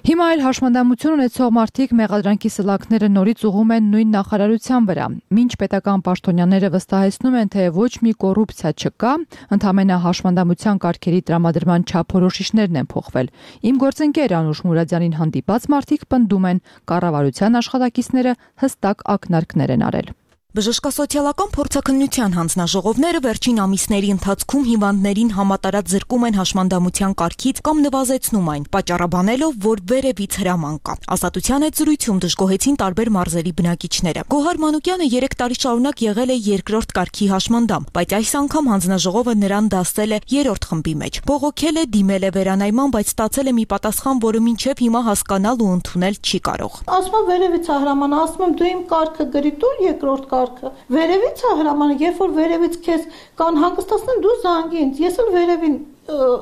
Հիմա էլ հաշմանդամություն ունեցող մարդիկ մեղադրանքի սլաքները նորից ուղղում են նույն նախարարության վրա։ Մինչ պետական պաշտոնյաները վստահեցնում են, թե ոչ մի կոռուպցիա չկա, ընդհանրապես հաշմանդամության կարգերի տրամադրման չափորոշիչներն են փոխվել։ Իմ գործընկեր Անուշ Մուրադյանին հանդիպած մարդիկ պնդում են, կառավարության աշխատակիցները հստակ ակնարկներ են արել։ Բժշկասոցիալական փորձաքննության հանձնաժողովները վերջին ամիսների ընթացքում հիվանդներին համատարած զրկում են հաշմանդամության կարգից կամ նվազեցնում այն, պատճառաբանելով, որ վերևից հրաման կա։ Ազատության հետ զրույցում դժգոհեցին տարբեր մարզերի բնակիչները։ Գոհար Մանուկյանը 3 տարի շարունակ եղել է երկրորդ կարգի հաշմանդամ, բայց այս անգամ հանձնաժողովը նրան դասել է 3-րդ խմբի մեջ։ Բողոքել է, դիմել է վերանայման, բայց ստացել է մի պատասխան, որը մինչև հիմա հասկանալ ու ընդունել չի կարող։ Ասում եմ վերևից է հրամանը, ասում եմ դու իմ կարգը գրի տուր երկրորդ վերևից է հրամանը, երբ որ վերևից քեզ կան հանգստացնեն, դու զանգի ինձ, ես էլ վերևին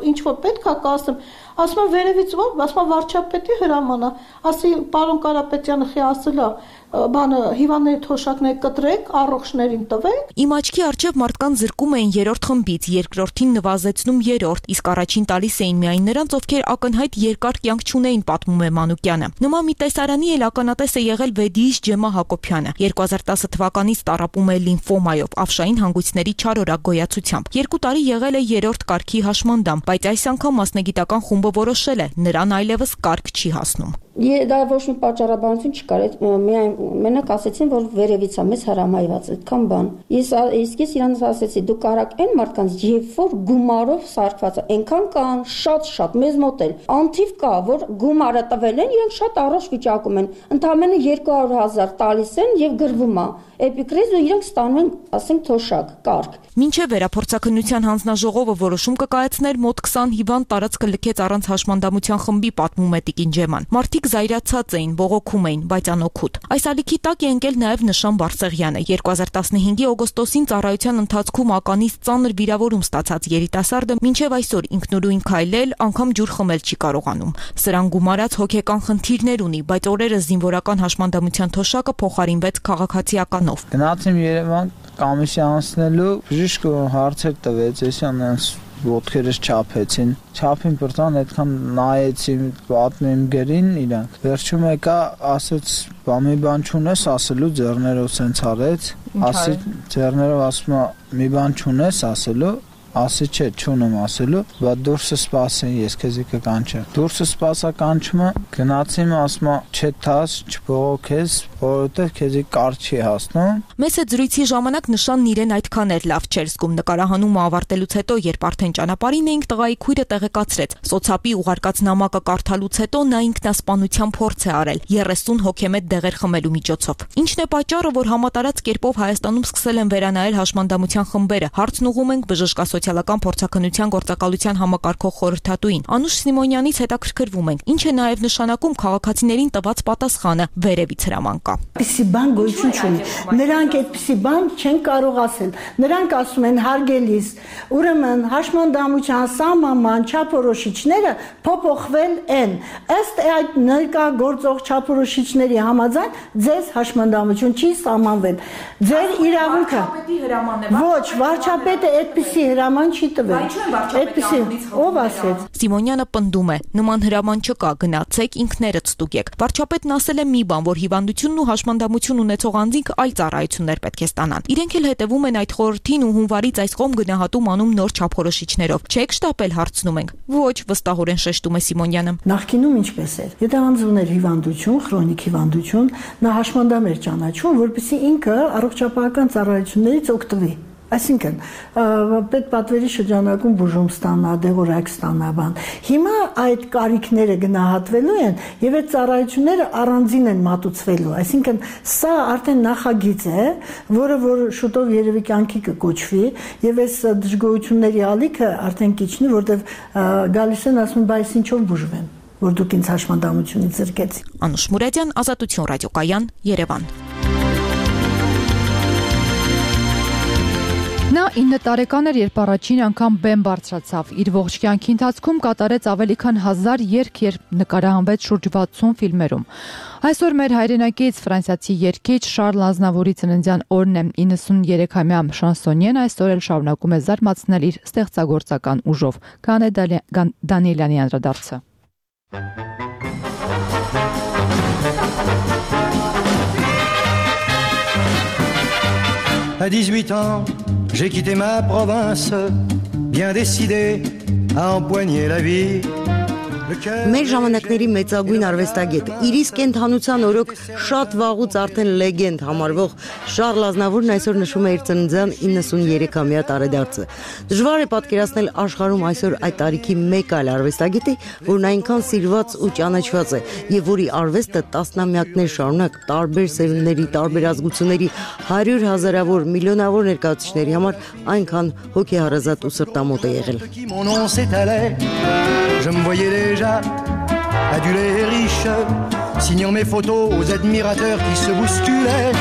ինչ որ պետք է կասեմ, ասում եմ վերևից ո՞ր, ասում եմ վարչապետի հրամանը, ասի պարոն Կարապետյանը խի ասել է բանը հիվանդների թոշակները կտրեք, առողջներին տվեք։ Իմ աչքի առջև մարդկանց զրկում էին 3-րդ խմբից, երկրորդին նվազեցնում 3-րդ, իսկ առաջին տալիս էին միայն նրանց, ովքեր ակնհայտ երկար կյանք չունեին, պատմում է Մանուկյանը։ Նման մի տեսարանի էլ ականատես է եղել Վեդիից Ջեմա Հակոբյանը։ 2010 թվականից տառապում է լիմֆոմայով, ավշային հանգույցների չարորակ գոյացությամբ։ 2 տարի եղել է 3-րդ կարգի հաշմանդամ, բայց այս անգամ մասնագիտական խումբը որոշել է, նրան այլևս կարգ չի հասնում։ Դա ոչ մի պատճառաբանություն չկար, միայն մենակ ասեցին, որ վերևից է մեզ հրամայված, այդքան բան։ Իսկ ես իրանց ասեցի, դու կարաք այն մարդկանց, երբ որ գումարով սարքված է, այնքան կան շատ, մեզ մոտ էլ անթիվ կա, որ գումարը տվել են, իրենք շատ առողջ վիճակում են, ընդամենը 200,000 տալիս են եւ գրվում է էպիկրիզ ու իրենք ստանում են, ասենք, թոշակ, կարգ։ Մինչև վերափորձաքննության հանձնաժողովը որոշում կկայացներ, մոտ 20 հիվանդ տարածքը լքեց առանց հաշմանդամության խմբի, պատմում է Տիկին Ջեման։ Մարդիկ զայրացած էին, բողոքում էին, բայց անօգուտ։ Այս ալիքի տակ է ընկել նաև Նշան Բարսեղյանը։ 2015-ի օգոստոսին ծառայության ընթացքում ականից ծանր վիրավորում ստացած երիտասարդը մինչև այսօր ինքնուրույն քայլել, անգամ ջուր խմել չի կարողանում։ Սրան գումարած հոգեկան խնդիրներ ունի, բայց օրերս զինվորական հաշմանդամության թոշակը փոխարինվեց քաղաքացիականով։ Գնացím Երևան կամիսի անցնելու բժիշկը հարցեր տվեց, ես անց ոտքերս չափեցին։ Չափին բրտան այդքան նայեցի, պատմեմ գրին իրանք։ Վերջում եկա, ասեց, մի բան չունես ասելու, ձեռներով սենց արեց, ասի ձեռներով ասում մի բան չունես ասելու, ասի չէ, չունեմ ասելու, բայց դուրսը սպասեն, ես քեզի կկանչեմ։ Դուրսը սպասա կանչումը, գնացիմ, ասում չէ թաս, չբողոքես, որովհետև քեզի կար չի հասնում։ Մեծ է զրույցի ժամանակ նշանն իրեն այդքան էր լավ չէր զգում նկարահանումը ավարտելուց հետո, երբ արդեն ճանապարհին էինք, տղայի քույրը տեղեկացրեց. սոցապի ուղարկած նամակը կարդալուց հետո նա ինքնասպանության փորձ է արել 30 հոգեմետ դեղեր խմելու միջոցով։ Ինչն է պատճառը, որ համատարած կերպով Հայաստանում սկսել են վերանայել հաշմանդամության խմբերը։ Հարցն ուղում ենք բժշկա սոցիալական փորձաքննության գործակալության համակարգող խորհրդատուին Անուշ Սիմոնյանից հետաքրքրվում ենք, ինչ է նաև նշանակում քաղաքացիներին տված պատասխանը վերևից հրամանկա։ Այդպիսի բան գոյություն չունի։ Նրանք այդպիսի բան չեն կարող ասել։ Նրանք ասում են հարգելիս, ուրեմն հաշմանդամության սահմանման չափորոշիչները փոփոխվել են։ Ըստ այդ ներկա գործող չափորոշիչների համաձայն ձեզ հաշմանդամություն չի սահմանվել։ Ձեր իրավունքը ոչ, վարչապետը այդպիսի հրաման չի տվել։ Այդպիսի ով ասեց։ Սիմոնյանը պնդում է, նման հրաման չկա, գնացեք ինքներդ ստուգեք։ Վարչապետն ասել է մի բան, որ հիվանդությունն ու հաշմանդամություն ունեցող անձինք այլ ծառայություններ պետք է ստանան։ Իրենք էլ հետևում են այդ խորհրդին ու հունվարից այս կողմ գնահատում անում նոր չափորոշիչներով։ Չեք շտապել, հարցնում ենք։ Ոչ, վստահորեն շեշտում է Սիմոնյանը։ Նախկինում ինչպես էր։ Եթե անձ ուներ հիվանդություն, քրոնիկ հիվանդություն, նա հաշմանդամ էր ճանաչում, որպեսզի ինքը առողջապահական ծառայություններից օգտվի։ Այսինքն, պետպատվերի շրջանակում բուժում ստանա, դեղորայք ստանա բան։ Հիմա այդ կարիքները գնահատվելու են եւ այդ ծառայությունները առանձին են մատուցվելու։ Այսինքն, սա արդեն նախագիծ է, որը որ շուտով երևի կյանքի կկոչվի եւ այս դժգոհությունների ալիքը արդեն կիչնի, որտեվ գալիս են ասում, բայց ինչով բուժվեմ, որ դուք ինձ հաշմանդամությունից զրկեցիք։ Անուշ Մուրադյան, Ազատություն ռադիոկայան, Երևան։ Նա 9 տարեկան էր, երբ առաջին անգամ բեմ բարձրացավ։ Իր ողջ կյանքի ընթացքում կատարեց ավելի քան 1000 երգ, երբ նկարահանվեց շուրջ 60 ֆիլմերում։ Այսօր մեր հայրենակից ֆրանսիացի երգիչ Շարլ Ազնավուրի ծննդյան օրն է։ 93-ամյա շանսոնյեն այսօր էլ շարունակում է զարմացնել իր ստեղծագործական ուժով։ Կանե Դանիելյանի անդրադարձը։ À 18 ans, j'ai quitté ma province, bien décidé à empoigner la vie. Մեր ժամանակների մեծագույն արվեստագետ, իր իսկ կենթանության օրոք շատ վաղուց արդեն լեգենդ համարվող Շարլ Ազնավուրն այսօր նշում է իր ծննդյան 93-ամյա տարեդարձը։ Դժվար է պատկերացնել աշխարհում այսօր այդ տարիքի մեկ այլ արվեստագետի, որն այնքան սիրված ու ճանաչված է, եւ որի արվեստը տասնամյակներ շարունակ տարբեր սերունդների, տարբեր ազգությունների 100 հազարավոր, միլիոնավոր ներկայացուցիչների համար այնքան հոգեհարազատ ու սրտամոտ է եղել։ Je me voyais déjà adulé et riche, signant mes photos aux admirateurs qui se bousculaient.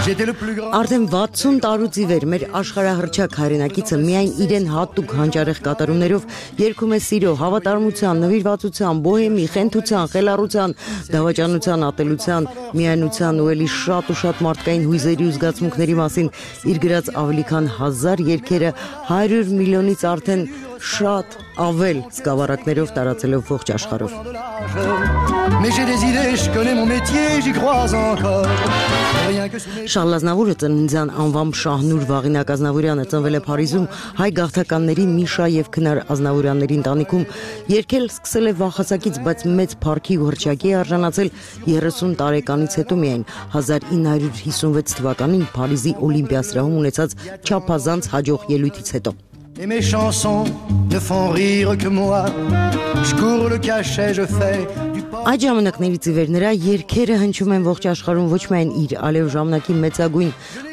J'étais le plus grand. Արդեն 60 տարուց ի վեր մեր աշխարհահռչակ հայրենակիցը միայն իրեն հատուկ հանճարեղ կատարումներով երգում է սիրո, հավատարմության, նվիրվածության, բոհեմի, խենթության, խելառության, դավաճանության, ատելության, միայնության ու էլի շատ ու շատ մարդկային հույզերի ու զգացմունքների մասին իր գրած ավելի քան 1000 երգերը 100 միլիոնից արդեն շատ ավել սկավառակներով տարածելով ողջ աշխարհով։ Mais j'ai des idées, je connais mon métier, j'y crois encore. Շարլ Ազնավուրը ծննդյան անվամբ Շահնուր Վաղինակ Ազնավուրյանը ծնվել է Փարիզում հայ գաղթականների Միշա եւ Քնար Ազնավուրյանների ընտանիքում, երգել սկսել է վաղ հասակից, բայց մեծ փառքի ու հռչակի արժանացել 30 տարեկանից հետո միայն 1956 թվականին Փարիզի Օլիմպիասրահում ունեցած չափազանց հաջող ելույթից հետո։ Et mes chansons ne font rire que moi. Je cours le cachet, je fais du Այդ ժամանակներից ի վեր նրա երգերը հնչում են ողջ աշխարհում ոչ միայն իր ալև ժամանակի մեծագույն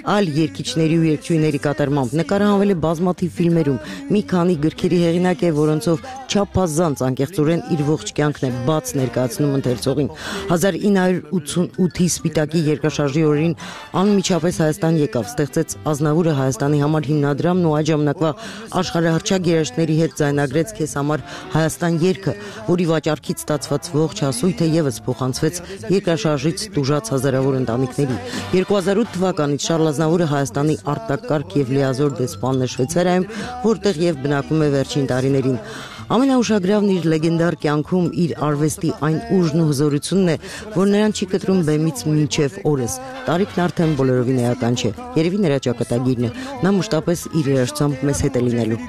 այլ երգիչների ու երգչուհիների կատարմամբ, նկարահանվել է բազմաթիվ ֆիլմերում, մի քանի գրքերի հեղինակ է, որոնցով չափազանց անկեղծորեն իր ողջ կյանքն է բաց ներկայացնում ընթերցողին։ 1988-ի Սպիտակի երկրաշարժի օրերին անմիջապես Հայաստան եկավ, ստեղծեց Ազնավուրը Հայաստանի համար հիմնադրամն ու այդ ժամանակվա աշխարհահռչակ երաժիշտների հետ ձայնագրեց Քեզ համար Հայաստան երգը, որի վաճառքից ստացված ողջ մրցասույթը եւս փոխանցվեց երկրաշարժից տուժած հազարավոր ընտանիքների։ 2008 թվականից Շարլ Ազնավուրը Հայաստանի արտակարգ եւ լիազոր դեսպանն է Շվեյցարիայում, որտեղ եւ բնակվում է վերջին տարիներին։ Ամենաուշագրավն իր լեգենդար կյանքում իր արվեստի այն ուժն ու հզորությունն է, որ նրան չի կտրում բեմից մինչև օրս։ Տարիքն արդեն բոլորովին էական չէ։ Երևի նրա ճակատագիրն է։ Նա մշտապես իր երաժշտությամբ մեզ հետ է լինելու։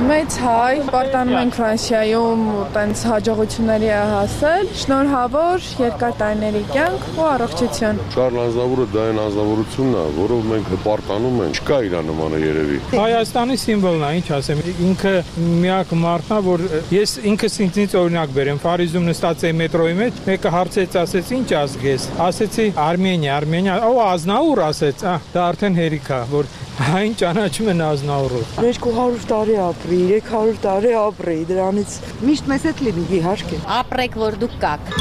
Մեծ հայ, պարտանում ենք Ֆրանսիայում տենց հաջողությունների է հասել։ Շնորհավոր երկար տարիների կյանք ու առողջություն։ Շարլ Ազնավուրը դա այն ազնվորությունն է, որով մենք հպարտանում ենք։ Չկա իր նմանը երևի։ Հայաստանի սիմվոլն է, ինչ ասեմ, ինքը միակ մարդն է, որ ես ինքս ինձնից օրինակ բերեմ, Փարիզում նստած էի մետրոյի մեջ, մեկը հարցեց, ասեց, ինչ ազգ ես։ Ասեցի Արմենիա, Ազնավուր ասեց, դա արդեն հերիք է, որ այն ճանաչում են Ազնավուրով։ 200 տարի ապրի, 300 տարի ապրի, դրանից միշտ մեզ հետ լինի, իհարկե։ Ապրեք, որ դուք կաք։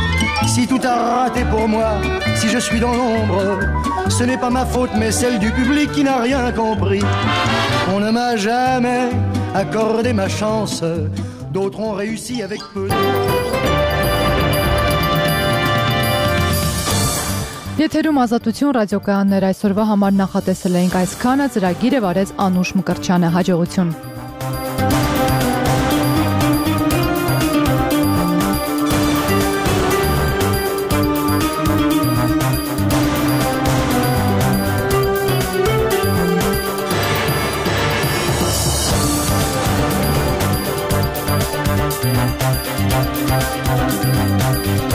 Si tout a raté pour moi, si je suis dans l'ombre, ce n'est pas ma faute mais celle du public qui n'a rien compris. On ne m'a jamais accordé ma chance, d'autres ont réussi avec peu. Եթերում Ազատություն ռադիոկայաններ այսօրվա համար նախատեսել էինք այսքանը, ծրագիրը վարեց Անուշ Մկրտչյանը, հաջողություն։ Thank you.